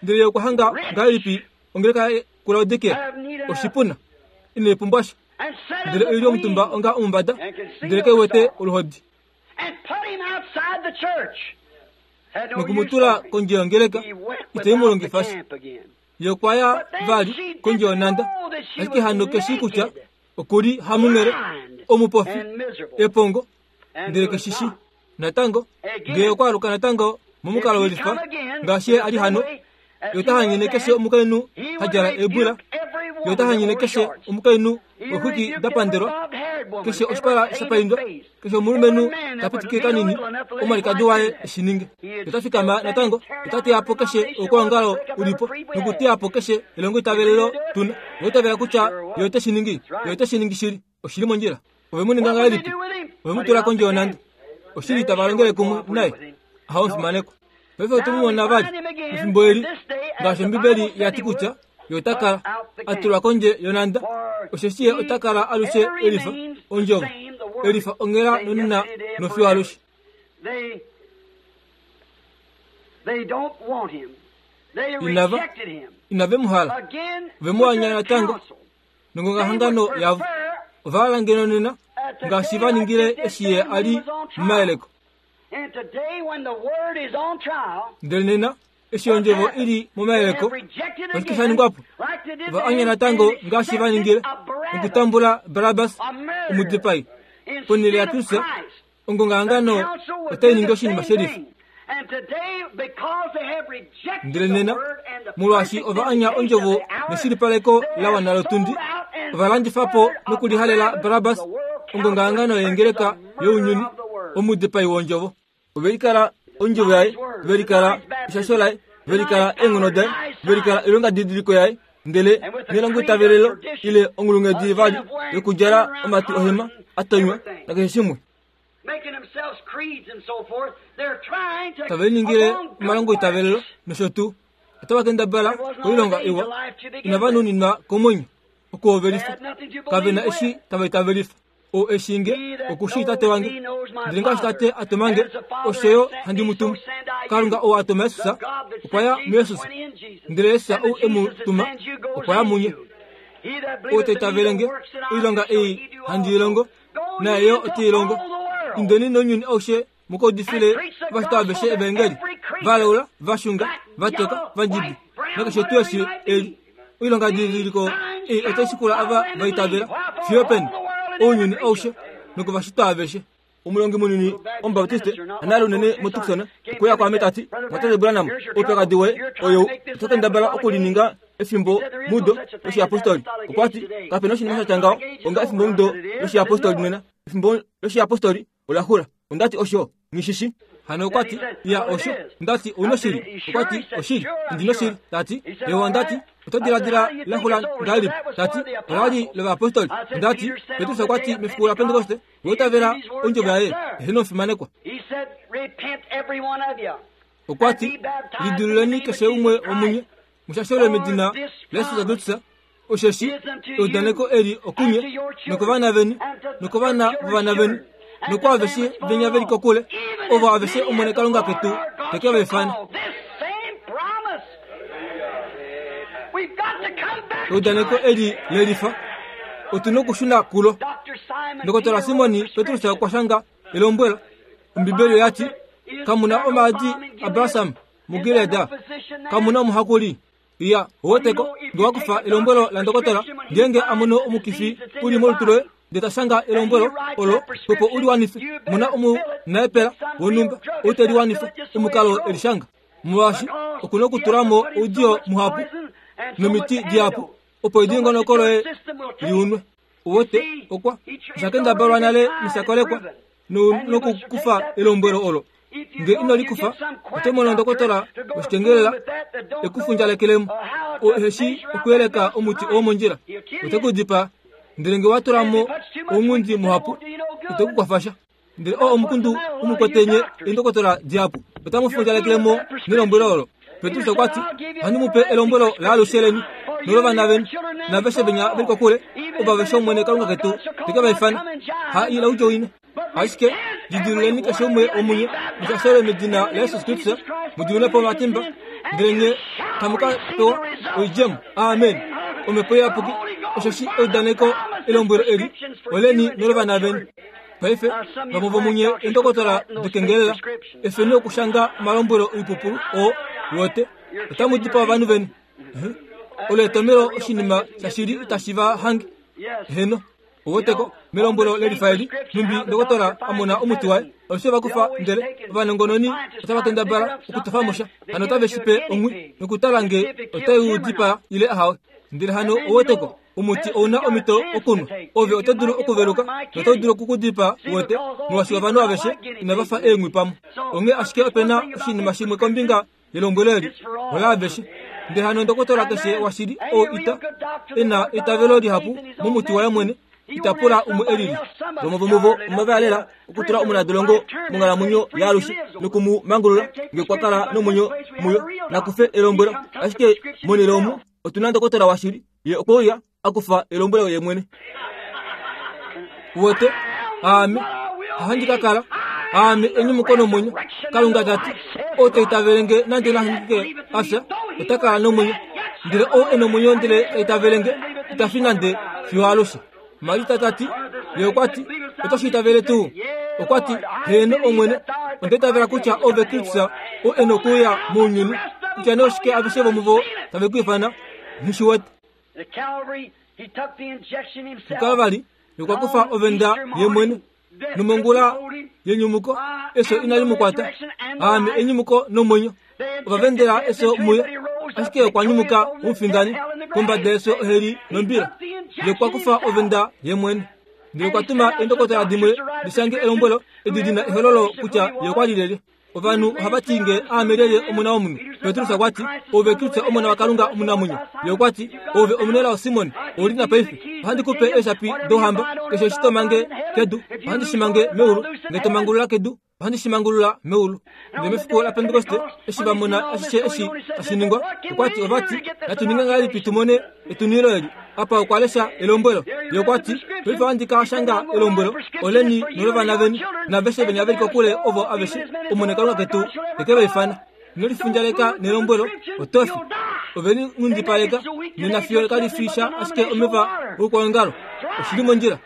Ndele ye okwa hanga ngahelipi ongeleka kuLaodikea? Oshipuna, ine pumbwa sha. Ndele oi li omutumba onga omumbada, ndele ke wete oluhodi. Noku mu tula kondje yongeleka, itei mu longifa sha. Ye okwa ya vali kondje yonhanda, ashike hano ke shii kutya oku li hamunghele, omupofi, epongo, ndele ke shi shii. Natango, ngee okwa aluka natango momukalo welifa, ngaashi ye a li hano, Ye ota hanyene keshe omukainhu ha djala eebwila. Ye ota hanyene keshe omukainhu wexwiki da pandelwa, keshe oshipala sha paindwa, keshe omulumenhu ta pitike kanini omwalikadi waye e shi ninge. Ye ota fikama natango, ota teya po keshe oukwaongalo u li po, nokuteya po keshe elongoitavelelo tu na. Owa itavela kutya Ye ote shi ningi? Ye ote shi ningi shili. Oshi li mondjila. Ove mu ninga ngahelipi? Ove mu tula kondje yonhanda. Oshili tava longele kumwe naye. Aha omufimanekwa. Paife otu mu mona vali mefimbo eli, ngaashi Ombibeli ya ti kutya ye ota kala a tulwa kondje yonhanda, osheshi ye ota kala alushe e lifa ondjovo, e lifa onghela nonena nofiyo alushe. Inava, inave mu hala. Ove mu anya natango. Nongongahangano yavo, ova hala ngeno nena ngaashi va ningile eshi ye a li momayeleko. Ndele nena, eshi ondjovo i li momayeleko, oshike sha ningwa po? Ova anya natango ngaashi va ningile nokutambula Barabas, omudipai, ponhele yaKristus. Ongongahangano otai ningi oshinima shelifa. Ndele nena, molwaashi ova anya ondjovo neshilipaleko la wana lotundi, ova landifa po nokulihalela Barabas, ongongahangano yeengeleka younyuni, omudipai wondjovo. Ove likala ondjovo yaye, ve likala eshasho laye, ve likala eenghono daye, ve likala oilongadidiliko yaye, ndele nelongoitavelelo ile onghulunghedi vali yokudjala omatwi ohema a tonywa nakeshe shimwe. Tave liningile omalongoitavelelo nosho tuu. Otava kendabala oilonga iwa inava nuninwa komwenyo okuhovelifa. Kave na eshi tava itavelifa. Ou e shii nge, oku shii Tate wange. Ndele ngaashi Tate a tuma nge, osho yo handi mu tumu. Kalunga ou a tuma Jesus okwa ya muJesus, ndele Jesus ou e mu tuma okwa ya munye. Ou ta itavele nge, oilonga ei handi i longo, naye yo ote i longo. Indeni nounyuni aushe mu ka udifile ovashitwa aveshe evaengeli, va laula, va xunga, va toka, va ndjibi, nakeshe tuu eshi e li. Oilongadidiliko ei otai shikula ava va itavela fiyo peni? Ounyuni aushe nokovashitwa aveshe. Omulongi munini Omubaptiste anale unene moTucson okwe uya kwaame ta ti, Mwatate Branham, oupyakadi woye oyou, oto kendabala okulininga efimbo mudo loshiyapostoli. Okwa ti, Kape na oshinima sha tya ngaho onga efimbo mudo loshiyapostoli nena. Efimbo loshiyapostoli ola xula. Onda ti, Osho nghi shi shi. Hano okwa ti, Ya, osho. Onda ti, Ou noshili? Okwa ti, Oshili, ondi noshili. Ta ti, Ewa, onda ti, Oto diladila la xula ngahelipi? Ta ti, Ola li lovayapostoli. Onda ti, Petrus okwa ti mefiku laPentekoste, Vo itavela ondjovo yaye, eheno omufimanekwa. Okwa ti, Lidiluleni keshe umwe womunye, mu shashelwe medina laJesus Kristus, Osheshi eudaneko eli okunye nokovana veni nokovana vovana veni nokwaaveshe venya ve li kokule, ovo aveshe Omwene Kalunga ketu te ke va ifana. Eudaneko eli le lifa, otu nokushuna kulo. Ndokotola Simoni Petrus okwa shanga elombwelo. Ombibeli oya ti, Kamu na omaadi abalsam muGilead? Kamu na omuhakuli? Iya, oweteko, nge wa kufa elombwelo landokotola, ngeenge a mono omukifi u li molutu loye, ndele ta shanga elombwelo olo, opo u li wanife, mona omunaepela wonhumba ou te li wanifa omukalo e li shanga. Molwaashi oku na okutula mo oudiyo muhapu nomiti dihapu, opo edingonoko loye li unwe. Uwete, okwa osha kendabalwa nale nosha kolekwa nokukufa elombwelo olo. Nge ino li kufa, oto mono ndokotola woshikengelela e ku fundjalekelemo. Oo ehe shii okuyeleka omuti oo mondjila, ote ku dipaa. Ndele nge wa tula mo ounghundi muhapu, ite ku kwafa sha. Ndele oo omukundu u mu kwete nye eendokotola dihapu, otamu fundjalekele mo nelombwelo olo. Petrus okwa ti, Ohandi mu pe elombwelo laalushe leni nolovana veni naaveshe venya ve li kokule, ovo aveshe Omwene Kalunga ketu te ke va ifana, ha ila u djoine. Ashike lidiluleni keshe umwe womunye mushashelwe medina laJesus Kristus, mu diminwe po omatimba, ndele nye tamu ka pewa oidjemo. Amen. Omhepo Iyapuki, osheshi eudaneko elombwelo eli oleni nolovana veni. Paife, vamwe vomunye eendokotola dikengelela, efeni okushanga omalombwelo oipupulu oo wote, otamu dipaa ovanhu veni. Olo etomelo oshinima shashili itashi va hange. Heno. Oweteko, melombwelo lelifa eli, nhumbi ndokotola a mona omuti waye, alushe va kufa ndele ovanongononi otava kendabala okutofa mo sha, hano otave shi pe onghwi nokutala nge otai u dipaa ile ahawe. Ndele hano oweteko, omuti ou na omhito okunwa. Ove oto dulu okuveluka notau dulu oku ku dipaa, uwete, molwaashi ovanhu aveshe inava fa eenghwi pamwe. Onghee ashike ope na oshinima shimwe kombinga yelombwelo eli, olaaveshe. Ndele hano ndokotola keshe washili oo ita e na eitavelo lihapu momuti waye mwene, ita pula umwe e lili. Vamwe vomuvo omava lela okutula omunadolongo monghalamwenyo yaalushe noku mu mangulula nge okwa kala nomwenyo muyo. Nakufe elombwelo, ashike monhele omu otu na ndokotola washili, ye okwe uya a kufa elombwelo ye mwene. Uwete, aame ohandi ka kala, aame enyumuko nomwenyo. Kalunga ta ti, ou ta itavele nge nande nahangike a fya, ota kala nomwenyo. Ndele ou e nomwenyo ndele ta itavele nge, ita fi nande fiyo alushe. Marita ta ti, ye okwa ti, oto shi itavele tuu? Okwa ti, heeno Omwene, onda itavela kutya ove Kristus ou e nokuuya mounyuni, kutya nee oshike aveshe vomuvo tave ku ifana, nghi shi wete. MuKalvari, ye okwa kufa ovenda ye mwene, nomongula yenyumuko efyo inali mu kwata. Aame enyumuko nomwenyo. Ova vendela efyo muye, ashike okwa nyumuka omufindani kombada yefyo oheli nombila. Ye okwa kufa ovenda ye mwene. Ndele okwa tuma eendokotola dimwe di shange elombwelo edi di na ehololo kutya ye okwa li lyelye. Ovanhu ohava ti nge aame lyelye omona womunhu? Petrus okwa ti, Ove Kristus omona waKalunga omunamwenyo. Ye okwa ti, Ove omunelao Simon, ou li na paife. Ohandi ku pe eeshapi douhamba, keshe eshi to mange kedu, ohandi shi mange meulu, nge to mangulula kedu, Ohandi shi mangulula meulu. Ndele mefiku laPentekoste, eshi va mona ashishe eshi tashi ningwa, okwa ti, ova ti, Natu ninge ngahelipi tu mone etunilo eli? Apa okwa lesha elombwelo. Ye okwa ti, Paife ohandi ka shanga elombwelo, oleni nolovana veni, naaveshe venya ve li kokule ovo aveshe, Omwene Kalunga ketu te ke va ifana. Ino lifundjaleka nelombwelo, oto fi. Ove li nghundipaleka nena fiyo kali fi sha ashike omeva oukwaongalo. Oshi li mondjila.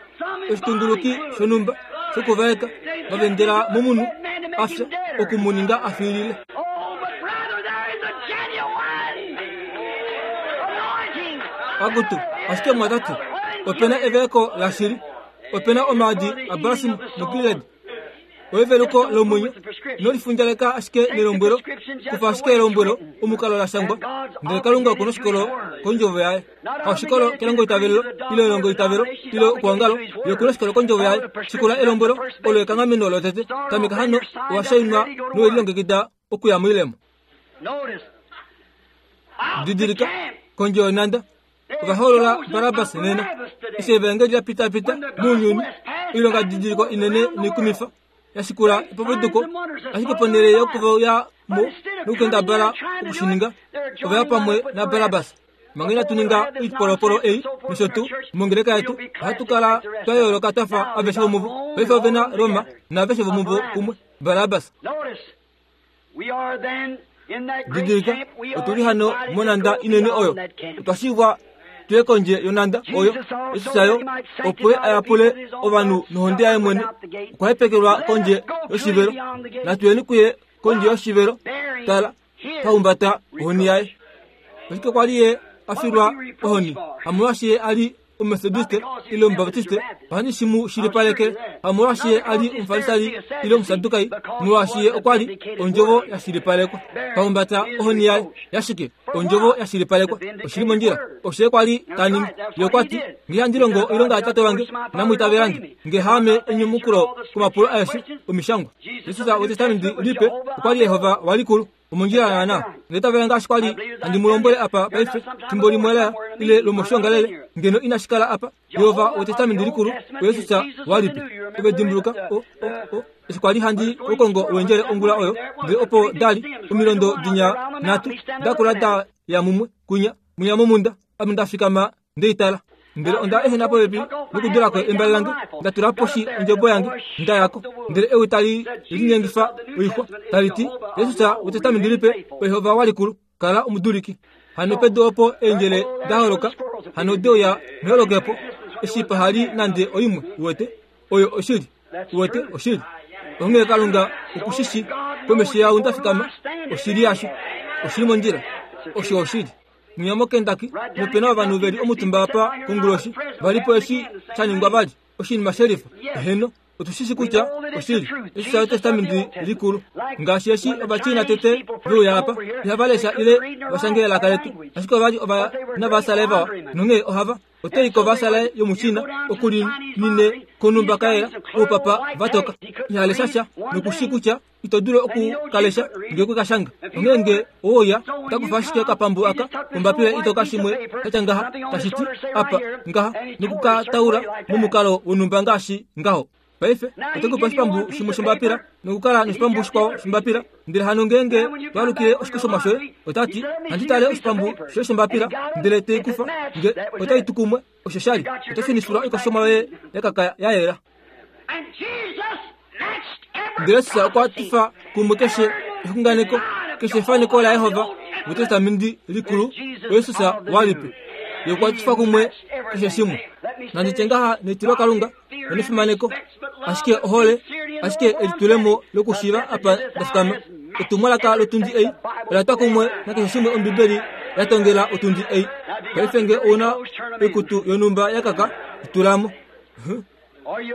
Oshitunguluki shonhumba shokuvaeka va vendela momunhu a fya oku mu ninga a fiilile. Akutu, ashike mwatate, ope na evaeko lashili. Ope na omaadi abalsam muGilead. Oeveluko lomwenyo. Ino lifundjaleka ashike nelombwelo, kufa ashike elombwelo omukalo la shangwa, ndele Kalunga oku noshikolo kondjovo yaye. Haushikolo kelongoitavelo ile elongoitavelo ile okuongalo, ye oku noshikolo kondjovo yaye. Shikula elombwelo, olo ekanghameno lotete. Tameka hano, owa shainwa nowe lilongekida okuya moilemo. Didilika, kondje yonhanda, ova hoolola Barabas nena. Eshi evaengeli la pitapita mounyuni, oilonga didiliko inene noikumifa ya shikula epapuduko, ashike ponhele yokuya mo nokukendabala oku shi ninga, ova ya pamwe naBarabas. Manga inatu ninga oipolopolo ei nosho tuu mongeleka yetu, ohatu kala twa yooloka twa fa aveshe vomuvo. Paife ove na Roma naaveshe vomuvo kumwe, Barabas. Didilika, otu li hano monhanda inene oyo. Otwa shivwa tu ye kondje yonhanda oyo. Jesus yo, opo a yapule ovanhu nohonde yaye mwene, okwa hepekelwa kondje yoshivelo. Natu yeni kuye kondje yoshivelo. Tala, ta humbata ohoni yaye. Ashike kwa li ye a filwa ohoni, hamolwaashi ye a li Omumetodiste ile Omubaptiste, ohandi shi mu shilipaleke, hamolwaashi ye a li Omufarisai ile Omusadukai, molwaashi ye okwa li Ondjovo ya shilipalekwa. Ta humbata ohoni yaye yashike? Ondjovo ya shilipalekwa. Oshi li mondjila. Osho ye kwa li ta ningi. Ye okwa ti, Nge handi longo oilonga yaTate wange, inamu itavela nge. Nge haame enyumukulo komapulo aeshe Omishangwa. Jesus wEtestamenti Lipe okwa li Yehova walikulu. Omondjila naana. Ndele tavela ngaashi kwa li handi mu lombwele apa paife, fimbo limwe la ile lomoshiongalele, ngeno inashi kala apa. Jehova wEtestamenti Likulu, oYesus walipe. Ove dimbuluka, o, o, o, eshi kwa li handi kokongo wendjele ongula oyo, ndele opo da li omilondo dinya nhatu da kula da ya mumwe kwinya, mwinya momunda, ame nda fikama nde i tala. Ndele onda ehena popepi nokudula ko embale lange, nda tula poshi ondjebo yange, nda ya ko. Ndele ewi tali linyengifa oixwa, tali ti, Jesus wEtestamenti Lipe, oYehova walikulu, kala omuduliki. Hano pedu opo eendjele da holoka, hano de uya meholokepo, eshi paha li nande oimwe, uwete. Oyo oshili, uwete, oshili. Onghee Kalunga oku shi shi, komesho yaau nda fikama, oshili yasho. Oshi li mondjila. Osho oshili. Mwinya moKentucky, nope na ovanhu ve li omutumba apa konguloshi, va li po eshi sha ningwa vali, oshinima shelifa. Eheno, otu shi shi kutya oshili. Eshi sha Etestamenti Likulu. Ngaashi eshi Ovachina tete ve uya apa, ihava lesha ile va shange elaka letu, ashike ova li ova navasale vawa, nonghee ohava. Oto i kovasale yomuChina oku li nine konhumba ka yela, oupapa va toka. Iha lesha sha, noku shii kutya ito dulu oku ka lesha nge kwe ka shanga. Onghee nge owe uya, ota kufa ashike okapambu aka kombapila itoka shimwe sha tya ngaha, tashi ti, apa, ngaha, noku ka taula momukalo wonhumba ngaashi ngaho. Paife, ote ku pa oshipambu shimwe shombapila, nokukala noshipambu shikwao shombapila. Ndele hano ngeenge to alukile oshikoshomwa shoye, ota ti, Handi tale oshipambu shoye shombapila, ndele te i kufa. Nge otai tu kumwe, osho sha li, oto shunifilwa oikoshomwa yoye ya kaka ya yela. Ndele Jesus okwa tifa kumwe keshe exunganeko, keshe efaneko laJehova mEtestamenti Likulu, oJesus walipe. Ye okwa tifa kumwe keshe shimwe. Nandi tye ngaha netilokalunga nonefimaneko, ashike ohole, ashike elitulemo lokushiiva apa nda fikama. Etumwalaka lotundi ei ola twa kumwe nakeshe shimwe Ombibeli ya tongela otundi ei. Paife nge ou na oikutu yonhumba ya kaka, i tula mo. Huh?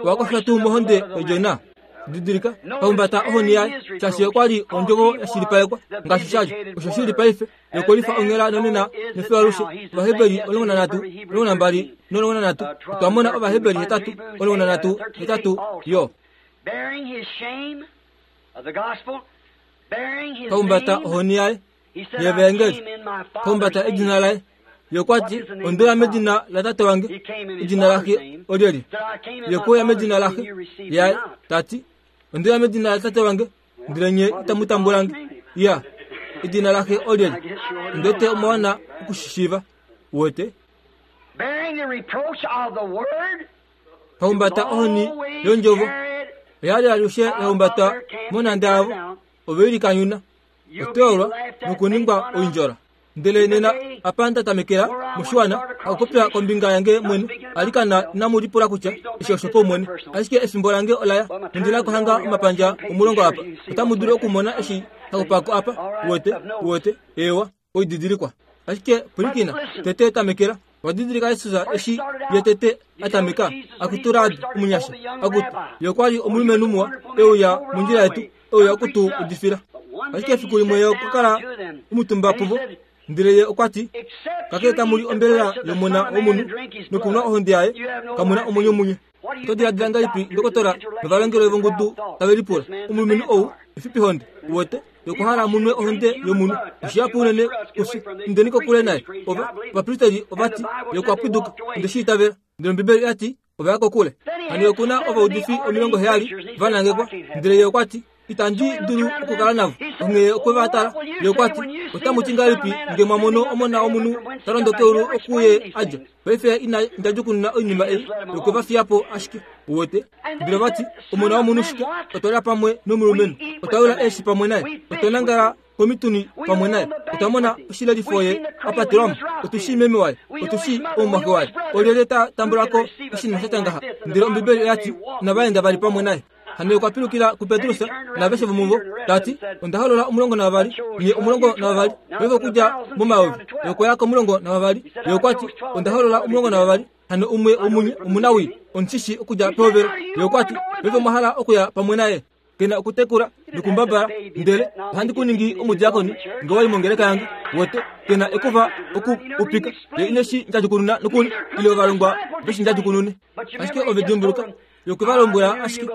Owa kofya tuu mohonde yOdjona? Didilika, pahumbata ohoni yaye, shaashi okwa li ondjovo ya shilipalekwa ngaashi sha li. Osho shi li paife, yokolifa onghela nonena nefiyo alushe. Ovaheberi 13, 12 no13. Otwa mona Ovaheberi 8, 13, 8 yo. Pahumbata ohoni yaye yevaengeli, pahumbata edina laye. Ye okwa ti, Onde uya medina laTate wange, edina laxe olyelye? Ye okwe uya medina laxe yaye, ta ti, Onde uya medina laTate wange, ndele nye itamu tambula nge. Ya, edina laxe olyelye? Ondi wete omwa wana oku shi shiiva. Uwete? Pahumbata ohoni yondjovo, oya li alushe ya humbatwa monhanda yavo, ove i likanyuna, otoyolwa nokuningwa oindjola. Ndele nena apa nda tamekela moshiwana okupopya kombinga yange mwene, alikana inamu lipula kutya eshi oshopaumwene. Ashike efimbo lange ola ya, nondi na kuhanga omapandja 10 apa. Otamu dulu okumona eshi hakupako apa, uwete, uwete, eewa, oididilikwa. Ashike pwilikina, tete tamekela. Owa didilika Jesus eshi ye tete a tameka akutula omunyasha, akutu, ye okwa li omulumenhu muwa, e uya mondjila yetu, e uya oku tu udifila. Ashike efiku limwe ye okwa kala omutumba puvo, ndele ye okwa ti, Kakele tamu li ombelela yOmona wOmunhu nokunwa ohonde yaye, kamu na omwenyo munye. Oto diladila ngahelipi ndokotola novalongelwe vongudu tave lipula, Omulumenhu ou efipihonde, uwete, ye okwa hala munwe ohonde yomunhu. Oshihapu unene kufye. Indeni kokule naye. Ova, ovapristeli ova ti, Ye okwa pwiduka. Onde shi itavela. Ndele Ombibeli oya ti, Ova ya kokule. Hano oku na ovaudifi 70 va nangekwa. Ndele ye okwa ti, Itandi dulu okukala navo. Onghee okwe va tala. Ye okwa ti, Otamu ti ngahelipi nge mwa mono Omona wOmunhu ta londo keulu oku Ye a dja? Paife ina ndjadjukununa oinima ei. Ye okwe va fiya po ashike. Uwete? Ndele ova ti, Omona wOmunhu shike? Otwa lya pamwe nomulumenhu. Otwa yula eeshi pamwe naye. Otwa nangala komituni pamwe naye. Otwa mona oshilelifo ye a patelwa mo. Otu shii meme waye. Otu shii omumwaxe waye. Olyelye ta tambula ko oshinima sha tya ngaha? Ndele Ombibeli oya ti, Inava enda vali pamwe naye. Hano okwa pilukila kuPetrus naaveshe vomuvo, ta ti, Onda holola 12, nye 12, paife okudja momayovi. Ye okwa ya komulongo navavali. Ye okwa ti, Onda holola 12, hano umwe womunye omunawii, omushishi okudja pehovelo. Ye okwa ti, Paife omwa hala okuya pamwe naye? Ke na okutekula nokumbabala, ndele ohandi ku ningi omudiakoni nge wa i mongeleka yange. Wote, ke na ekufa oku upika. Ye ine shi ndjadjukununa nokuli, ile ovalongwa ve shi ndjadjukunune. Ashike ove dimbuluka, Ye okwe va lombwela ashike,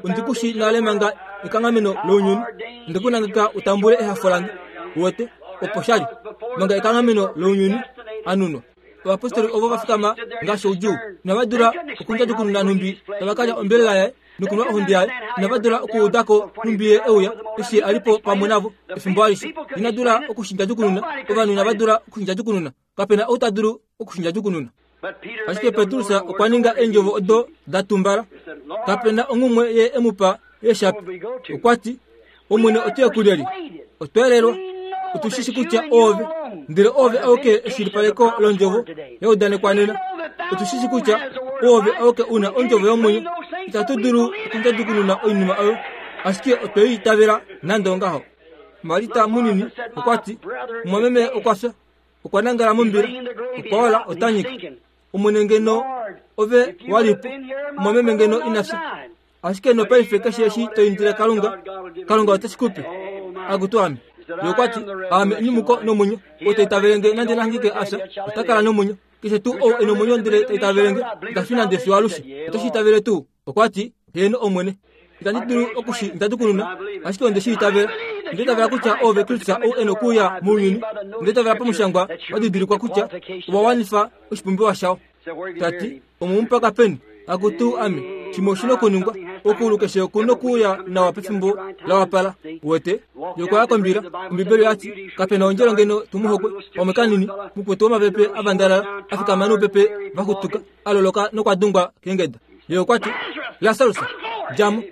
Ondi ku shii nale manga ekanghameno lounyuni. Onde ku nangeka u tambule ehafo lange. Uwete, opo sha li, manga ekanghameno lounyuni, a nunwa. Ovapostoli ovo va fikama ngaashi oudjuu. Inava dula okundjadjukununa nhumbi tava ka lya ombelela yaye nokunwa ohonde yaye. Inava dula okuuda ko nhumbi ye e uya eshi a li po pamwe navo efimbo alishe. Ina dula oku shi ndjadjukununa. Ovanhu inava dula oku shi ndjadjukununa. Kape na ou ta dulu oku shi ndjadjukununa. Ashike Petrus okwa ninga eendjovo odo da tumbala. Kape na onghumwe ye e mu pa eeshapi. Okwa ti, Omwene otu ye kulyelye? Otwa yelelwa. Otu shi shi kutya oove, ndele oove auke eshilipaleko londjovo ya udanekwa nena. Otu shi shi kutya oove auke u na ondjovo yomwenyo. Itatu dulu okundjadjukununa oinima oyo, ashike otwe i itavela nande ongaho. Marita munini okwa ti, Mumwameme okwa fya. Okwa nangala mombila, okwa ola, ota nyika. Omwene ngeno ove wa li po, mumwameme ngeno ina fya. Ashike nopaife keshe eshi to indile Kalunga, Kalunga ote shi ku pe. Akutu ame. Ye okwa ti, Aame enyumuko nomwenyo. Ou ta itavele nge nande nahangike a fya, ota kala nomwenyo. Keshe tuu ou e nomwenyo ndele ta itavele nge, ita fi nande fiyo alushe. Oto shi itavele tuu? Okwa ti, Heeno, Omwene. Itandi dulu oku shi ndjadjukununa, ashike onde shi itavela. Onda itavela kutya oove Kristus ou e nokuuya mounyuni. Onda itavela pamushangwa wa didilikwa kutya owa wanifa oshipumbiwa shao. Ta ti, Omwe mu paka peni? Akutu ame, shimwe oshi nokuningwa. Okuulu keshe oku nokuuya nawa pefimbo la wapala. Uwete? Ye okwa ya kombila. Ombibeli oya ti, Kape na ondjelo ngeno tu mu hokwe. Pamwe kanini, mukwetu womapepe a vandalala, a fikama noupepe va xutuka, a loloka nokwa dungwa keengeda. Ye okwa ti, Lasarus, dja mo!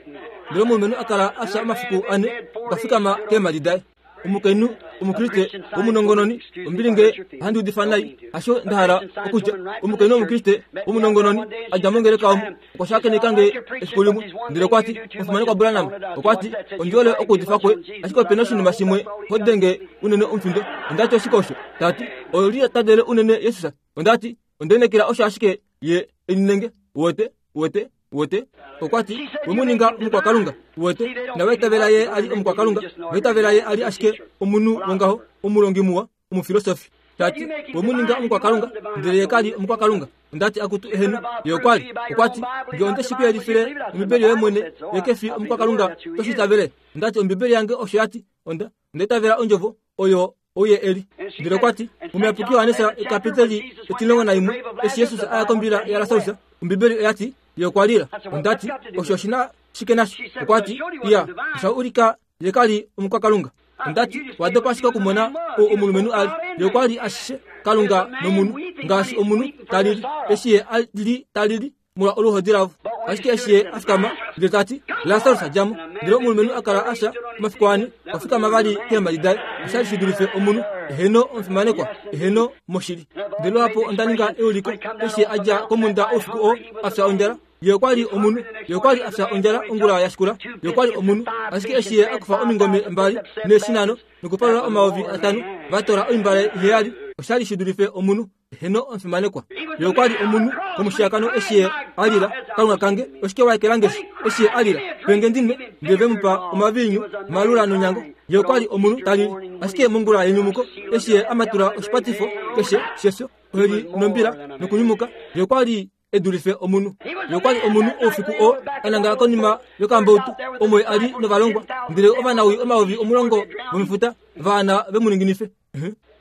Ndele omulumenhu a kala a fya omafiku ane, okwa fikama keemhadi daye. Omukainhu Omukriste womunongononi, ombili nge ohandi udifa nai, hasho nda hala okutya. Omukainhu Omukriste womunongononi a dja mongeleka omo, okwa shakeneka nge efiku limwe, ndele okwa ti, Omufimanekwa Branham, okwa ti, ondi hole okuudifa kwoye, ashike ope na oshinima shimwe ho denge unene omufindo. Onda ti, Oshike osho? Ta ti, Oli tadele unene Jesus. Onda ti, Onda inekela osho ashike ye e ninenge. Uwete? Uwete? Uwete? Okwa ti, We mu ninga omukwakalunga. Uwete? Inava itavela ye a li omukwakalunga. Ova itavela ye a li ashike omunhu wongaho, omulongi muwa, omufilosofi. Ta ti, We mu ninga omukwakalunga, ndele ye ka li omukwakalunga. Onda ti, Akutu, eheno, ye okwa li. Okwa ti, Nge onde shi ku yelifile Ombibeli yoye mwene, ye ke fi omukwakalunga, oto shi itavele? Onda ti, Ombibeli yange osho ya ti. Onda, onda itavela Ondjovo oyo ou ye e li. Ndele okwa ti, Omuyapuki Johannes ekapiteli 11, eshi Jesus a ya kombila yaLasarus, Ombibeli oya ti, Ye okwa lila. Onda ti, Osho oshi na shike nasho? Okwa ti, Iya, osha ulika ye ka li omukwakalunga. Onda ti, Wa dopa ashike okumona ou omulumenhu a li. Ye okwa li ashishe Kalunga nomunhu, ngaashi omunhu ta lili, eshi ye a li ta lili molwa oluhodi lavo. Ashike eshi ye a fikama, ndele ta ti, Lasarus, dja mo! Ndele omulumenhu a kala a fya omafiku ane, okwa fikama vali keemhadi daye. Osha li shi dulife omunhu. Eheno, omufimanekwa. Eheno, moshili. Ndele lwapo onda ninga euliko, eshi ye a dja komhunda oufiku oo, a fya ondjala. Ye okwa li omunhu. Ye okwa li a fya ondjala ongula ya shikula. Ye okwa li omunhu. Ashike eshi ye a kufa omingome mbali neeshi nhano nokupalula 5000 va tola oimbale iheyali, osha li shi dulife omunhu. Eheno, omufimanekwa. Ye okwa li omunhu komushiyakano eshi ye a lila, Kalunga kange, oshike wa ekela nge shi? Eshi ye a lila, Pe nge ndi nwe, ndele ve mu pa omaviinyu malula nonyango. Ye okwa li omunhu ta lili. Ashike mongula yenyumuko, eshi ye a matula oshipatifo keshe shefyo, oheli nombila, nokunyumuka, ye okwa li e dulife omunhu. Ye okwa li omunhu oufiku oo a nangala konima yokambautu omo ye a li novalongwa, ndele ovanawii 10,000 vomefuta va ana ve mu ninginife.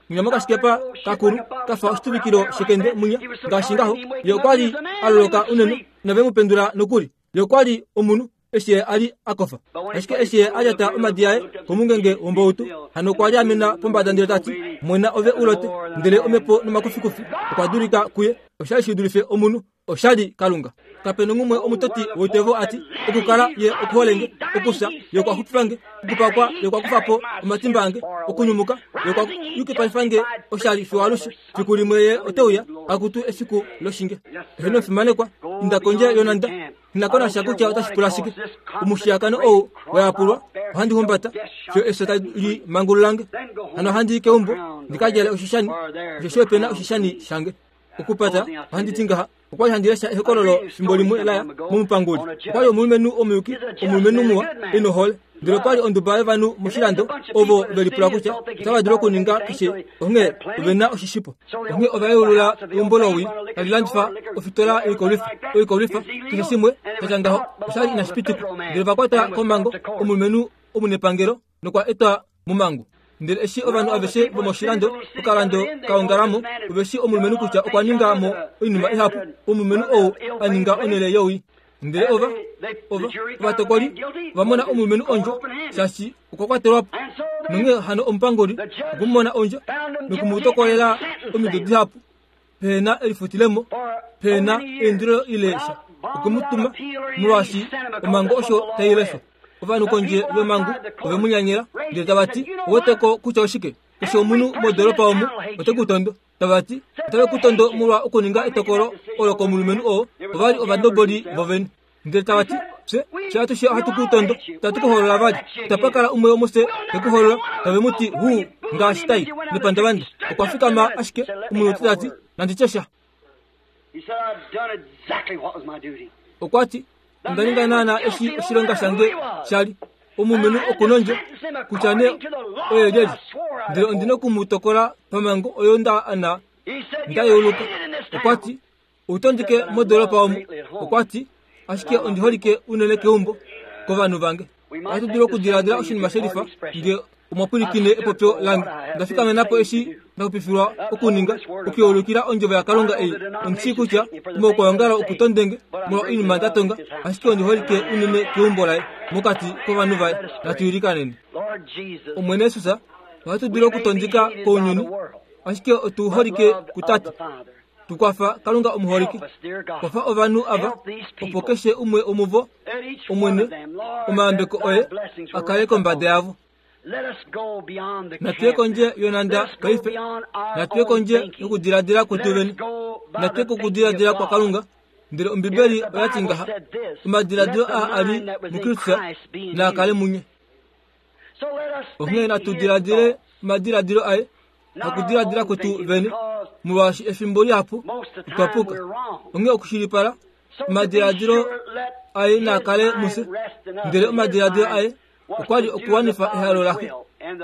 Munya mokashikepa kakulu ka fa oshituvikilo shekende munya ngaashi ngaho. Ye okwa li a loloka unene nove mu pendula nokuli. Ye okwa li omunhu eshi ye a li a kofa. Ashike eshi ye a lyata omadi aye komungenge wombautu, hano okwa lyaamena pombada ndele ta ti, Mwena ove u lote. Ndele omhepo nomakufikufi okwa dulika kuye. Osha li shi dulife omunhu. Osha li Kalunga. Kape nongumwe omutoti woitevo a ti, Okukala ye okuhole nge, okufya ye okwa xupifa nge, okupakwa ye okwa kufa po omatimba ange, okunyumuka ye okwa yukipalifa nge oshali fiwalushe. Fiku limwe ye ote uya, akutu efiku loshinge. Eheno fimanekwa, inda kondje yonhanda. Nghi ko nasha kutya otashi pula shike. Omushiyakano ou wa yapulwa ohandi humbata fiyo efyo tali mangulula nge. Hano ohandi i keumbo ndi ka djale oshishani, osheshi ope na oshishani shange. Okupata, ohandi ti ngaha, okwa li handi lesha ehokololo fimbo limwe la ya momupanguli. Okwa li omulumenhu omuyuki, omulumenhu muwa, e nohole. Ndele okwa li onduba yovanhu moshilando ovo ve lipula kutya otava dulu okuninga keshe onghee ove na oshishipo. Onghee ova yeulula eumbo lowii tali landifa ofitola yoikolwifa, oikolwifa, keshe shimwe sha tya ngaho. Osha li inashi pitikwa. Ndele ova kwata komhango omulumenhu omunepangelo nokwa etwa momhangu. Ndele eshi ovanhu aveshe vomoshilando okalando ka ongala mo, ove shii omulumenhu kutya okwa ninga mo oinima ihapu, omulumenhu ou a ninga onhele yowii. Ndele ova, ova, ovatokoli ova mona omulumenhu ondjo, shaashi okwa kwatelwa po. Nonghee hano omupanguli okwe mu mona ondjo noku mu tokolela omido dihapu, pehe na elifutilemo, pehe na eindilo ile sha. Okwe mu tuma, molwaashi omhango osho tai leshwa. Ovanhu kondje yomhangu ove mu nyanyela, ndele tava ti, Owete ko kutya oshike? Keshe omunhu modoolopa omu ote ku tondo. Tava ti, Otave ku tondo molwa okuninga etokolo olo komulumenhu oo. Ova li ovandoboli vovene. Ndele tava ti, Fye, fye atushe ohatu ku tondo. Itatu ku hoolola vali. Itapa kala umwe womufye te ku hoolola. Tave mu ti, Huu, ngaashi tai nepandavanda. Okwa fikama ashike omunhu ta ti, Nandi tye sha. Okwa ti, Onda ninga naanaa eshi oshilonga shange sha li. Omulumenhu oku nondjo, kutya nee oye lyelye, ndele ondi noku mu tokola pamhango oyo nda ana nda yeuluka. Okwa ti, Ou tondike modoolopa omu. Okwa ti, Ashike ondi holike unene keumbo, kovanhu vange. Ohatu dulu okudiladila oshinima she lifa nge omwa pwilikine epopyo lange. Onda fikamena po eshi nda xupifilwa okuninga, okuyeulukila ondjovo yaKalunga ei. Ondi shii kutya omaukwaongalo oku tonde nge molwa oinima nda tonga, ashike ondi holike unene keumbo laye, mokati kovanhu vaye. Natu ilikaneni. Omwene Jesus, ohatu dulu okutondika kounyuni, ashike otu holike kuTate. Tu kwafa, Kalunga omuholike. Kwafa ovanhu ava, opo keshe umwe womuvo, Omwene, omayambeko oye a kale kombada yavo. Natu ye kondje yonhanda paife. Natu ye kondje yokudiladila kwetu vene. Natu ye kokudiladila kwaKalunga. Ndele Ombibeli oya ti ngaha, Omadiladilo aa a li muKristus naa kale munye. Onghee natu diladile omadiladilo aye, hakudiladila kwetu vene, molwaashi efimbo lihapu otwa puka. Onghee okushilipala, omadiladilo aye naa kale mufye, ndele omadiladilo aye okwa li okuwanifa ehalo laXe,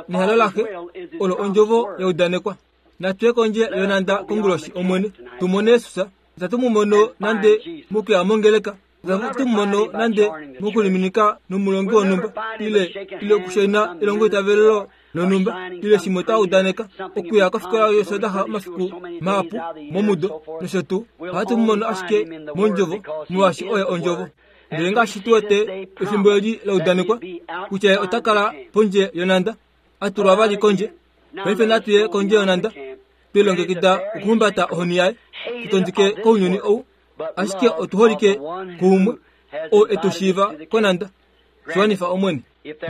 nehalo laXe olo ondjovo ya udanekwa. Natu ye kondje yonhanda konguloshi, Omwene, tu mone Jesus. Itatu mu mono nande mokuya mongeleka, itatu mu mono nande mokuliminika nomulongi wonhumba, ile, ile okushaina elongoitavelelo lonhumba, ile shimwe twa udaneka, okuya kofikola yOsoondaxa omafiku mahapu momudo, nosho tuu. Ohatu mu mono ashike mOndjovo, molwaashi Oye Ondjovo. Ndele ngaashi tu wete efimbo eli la udanekwa kutya ye ota kala pondje yonhanda, a tulwa vali kondje. Paife natu ye kondje yonhanda, twe lilongekida okuhumbata ohoni yaye, tu tondike kounyuni ou, ashike otu holike kuumwe oo e tu shiiva konhanda. Shiwanifa Omwene.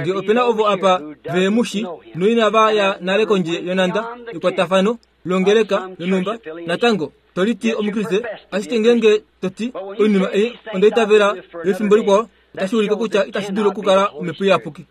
Nge ope na ovo apa vehe mu shi noinava ya nale kondje yonhanda ekwatafano longeleka yonhumba, natango to liti Omukriste, ashike ngeenge to ti oinima ei onda itavela yefimbo likwao, otashi ulike kutya itashi dulu okukala Omhepo Iyapuki.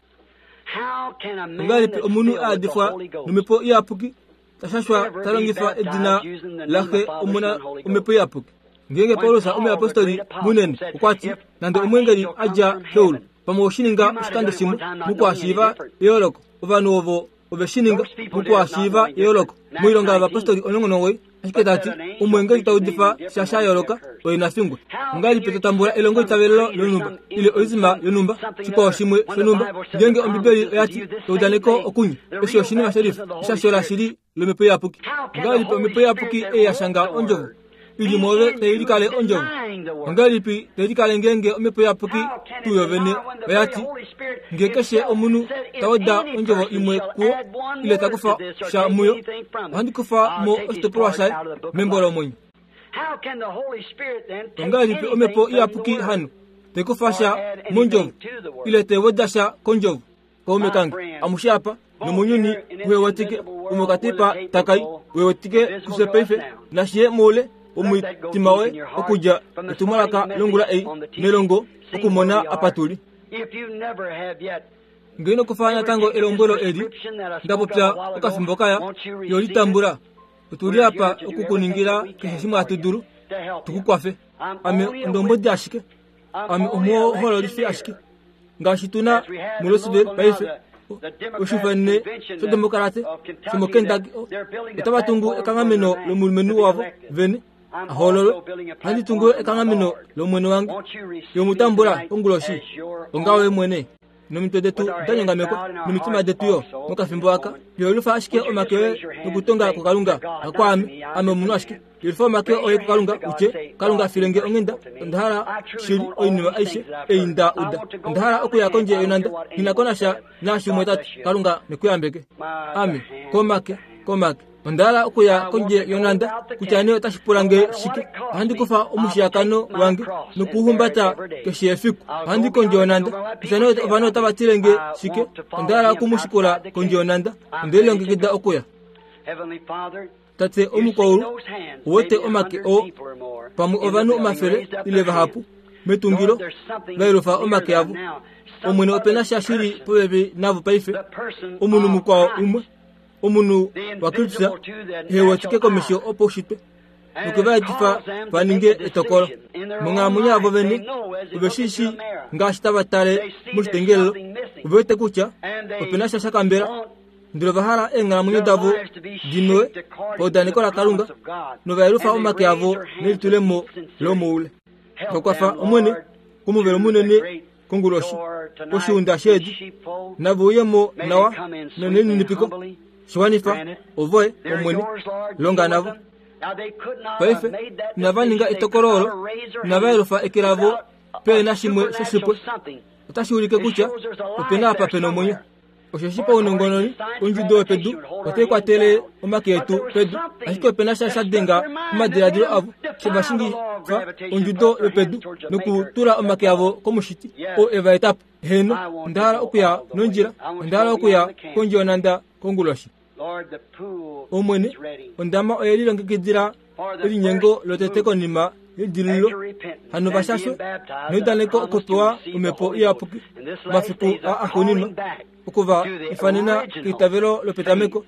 Ongahelipi omunhu a yadifwa nOmhepo Iyapuki ta shashwa ta longifa edina laXe, Omona, Omhepo Iyapuki? Ngeenge Paulus omuyapostoli munene okwa ti, nande omweengeli a dja keulu, pamwe oshi ninga oshikando shimwe mokuhashiiva eyooloko, ovanhu ovo ove shi ninga mokuhashiiva eyooloko. Moilonga yovapostoli 19, ashike ta ti, Omweengeli ta udifa sha sha yooloka, oye na fingwe. Ongahelipi to tambula elongoitavelelo lonhumba ile oizima yonhumba, shikwao shimwe shonhumba, ngeenge Ombibeli oya ti, Eudaneko okunya, eshi oshinima shelifa, eshasho lashili lOmhepo Iyapuki? Ongahelipi Omhepo Iyapuki ei ya shanga Ondjovo i li mwoove tai likale Ondjovo? Ongahelipi tai likale ngeenge Omhepo Iyapuki tuu yovene oya ti, Nge keshe omunhu ta weda ondjovo imwe kuo ile ta kufa sha muyo, ohandi kufa mo oshitopolwa shaye membo lomwenyo? Ongahelipi Omhepo Iyapuki hano tai kufa sha mondjovo ile tai weda sha kondjovo? Kaume kange, amushe apa, nomounyuni uhe wetike, umwe okatipa takai, uhe wetike kufye paife, nashi ye moule womutima woye okudja etumwalaka longula ei melongo okumona apa tu li. Nge ino kufa natango elombwelo eli nda popya okafimbo kaya, yo li tambula. Otu li apa oku ku ningila keshe shimwe hatu dulu tu ku kwafe. Ame ondombwedi ashike. Ame omuhoololifi ashike. Ngaashi tu na muLouisville paife, oshifanene shodemokarate shomoKentucky, otava tungu ekanghameno lomulumenhu wavo vene a hoololwe. Ohandi tungu ekanghameno lOmwene wange. Ye mu tambula konguloshi onga oye mwene. Nomitwe detu da nyongamekwa, nomitima detu yo, mokafimbo aka. Yolufa ashike omake oye nokutonga kuKalunga, hakwaame, ame omunhu ashike. Yolufa omake oye kuKalunga, u tye, Kalunga, file nge onghenda, onda hala shili oinima aishe ei nda uda. Onda hala okuya kondje yonhanda. Nghi na ko nasha naashi umwe ta ti. Kalunga ne ku yambeke. Ame, komake, komake. Onda hala okuya kondje yonhanda, kutya nee otashi pula nge shike. Ohandi kufa omushiyakano wange nokuuhumbata keshe efiku. Ohandi kondje yonhanda, kutya nee ovanhu otava tile nge shike. Onda hala oku mu shikula kondje yonhanda. Onde lilongekida okuya. Tate omukwaulu, ou wete omake oo, pamwe ovanhu omafele ile vahapu, metungilo, va yelufa omake avo. Omwene ope na sha shili popepi navo paife, omunhu mukwao umwe. Omunhu waKristus ehe wetike komesho opaushitwe noke va etifa va ninge etokolo monghalamwenyo yavo vene. Ove shi shii ngaashi tava tale moshitengelelo, ove wete kutya ope na sha sha kambela, ndele ova hala eenghalamwenyo davo di mewe paudaneko laKalunga nova yelufa omake avo nelitulemo lomoule. Va kwafa, Omwene, komuvelo munene konguloshi koshiunda sheedi, nave uye mo nawa nonelininipiko. Shi wanifa, ovoye, Omwene, longa navo. Paife, inava ninga etokolo olo, inava yelufa eke lavo pe na shimwe shoshipwe. Otashi ulike kutya ope na apa pe na omwenyo. Osheshi paunongononi, ondjudo yopedu otai kwatele omake etu pedu, ashike ope na sha sha denga omadiladilo avo, she va shingifa ondjudo yopedu nokutula omake avo kOmushiti oo e va eta po. Heeno, onda hala okuya nondjila, onda hala okuya kondje yonhanda konguloshi. Omwene, ondama oye lilongekidila elinyengo lotete konima yedilululo, hano va shashwe neudaneko okupewa Omhepo Iyapuki momafiku aa axuuninwa, oku va ifanena keitavelo lopetameko,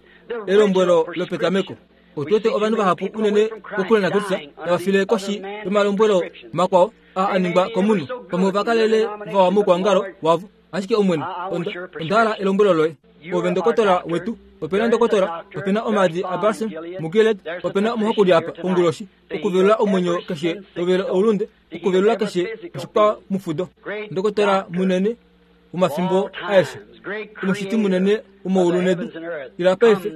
elombwelo lopetameko. Otu wete ovanhu vahapu unene kokule naKristus tava file koshi yomalombwelo makwao aa a ningwa komunhu. Pamwe ova kalele vawa moukwaongalo wavo. Ashike Omwene, onda, onda hala elombwelo loye. Ove ndokotola wetu. Ope na ndokotola, ope na omaadi abalsam muGilead, ope na omuhakuli apa konguloshi, okuvelula omwenyo keshe tovele oulunde, okuvelula keshe oshikwamufudo. Ndokotola munene womafimbo aeshe, omushiti munene womaulu nedu, ila paife,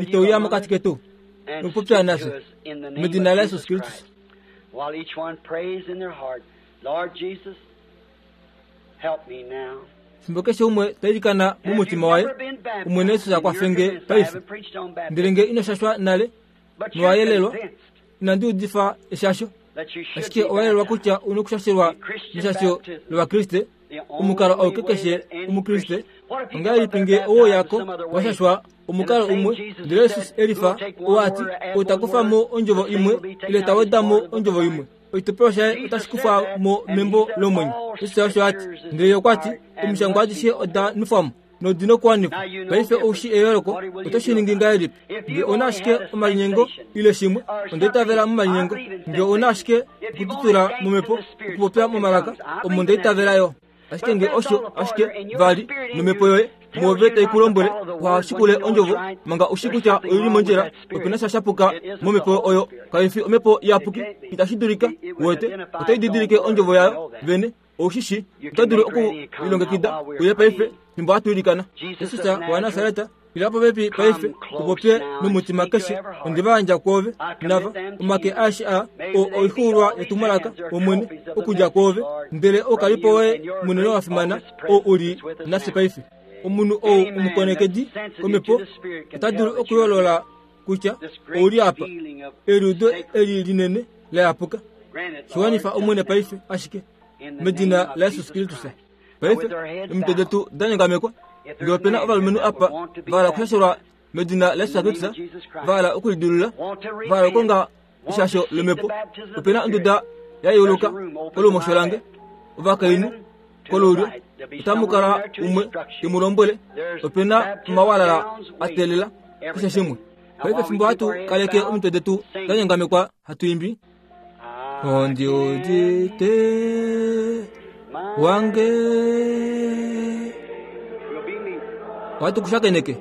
ito uya mokati ketu nokupopya nafye, medina laJesus Kristus. While each one prays in their heart, Lord Jesus, Fimbo keshe umwe ta ilikana momutima waye, Omwene Jesus a kwafe nge paife. Ndele nge ino shashwa nale, nowa yelelwa, inandi udifa eshasho, ashike owa yelelwa kutya u nokushashelwa meshasho lOvakriste, omukalo auke keshe Omukriste. Ongahelipi nge owe uya ko wa shashwa omukalo umwe, ndele Jesus e lifa, oo a ti, Ou ta kufa mo ondjovo imwe, ile ta weda mo ondjovo imwe, oshitopolwa shaye otashi kufwa mo membo lomwenyo. Jesus osho a ti. Ndele ye okwa ti, Omishangwa adishe oda nufwa mo nodi nokuwanifwa. Paife ou shii eyooloko, oto shi ningi ngahelipi? Nge ou na ashike omalinyengo ile shimwe, onda itavela momalinyengo. Nge ou na ashike okututula momhepo, okupopya momalaka, omo nda itavela yo. Ashike nge osho ashike vali nomhepo yoye mwoove tai ku lombwele uha shikule ondjovo manga u shi kutya oi li mondjila, ope na sha sha puka momhepo oyo. Kai fi omhepo iyapuki. Itashi dulika. Uwete, otai didilike ondjovo yayo vene. Ou shi shii, oto dulu oku lilongekida uye paife fimbo hatu ilikana. Jesus waNasaret, ila popepi paife, u popye nomutima keshe. Onde va yandja kwoove, nava, omake aeshe aa, oo oixuulwa yetumwalaka, Omwene, okudja kwoove. Ndele oukalipo woye munene wa fimana, oo u li nafye paife. Omunhu ou omukonekedi komhepo ota dulu okuyoolola kutya ou li apa, eliudo eli linene la yapuka. Shi wanifa, Omwene, paife, ashike medina laJesus Kristus. Paife, omitwe detu da nyongamekwa, ngee ope na ovalumenhu apa va hala okushashelwa medina laJesus Kristus, va hala okulidilulula, va hala okukonga eshasho lomhepo, ope na onduda ya yeuluka kolumosho lange, ovakainhu kolulyo, otamu kala umwe te mu lombwele, ope na omawalala a teelela keshe shimwe. Paife fimbo hatu kaleke omitwe detu da nyongamekwa hatu imbi, Ondi udite wange. Ohatu ku shakeneke.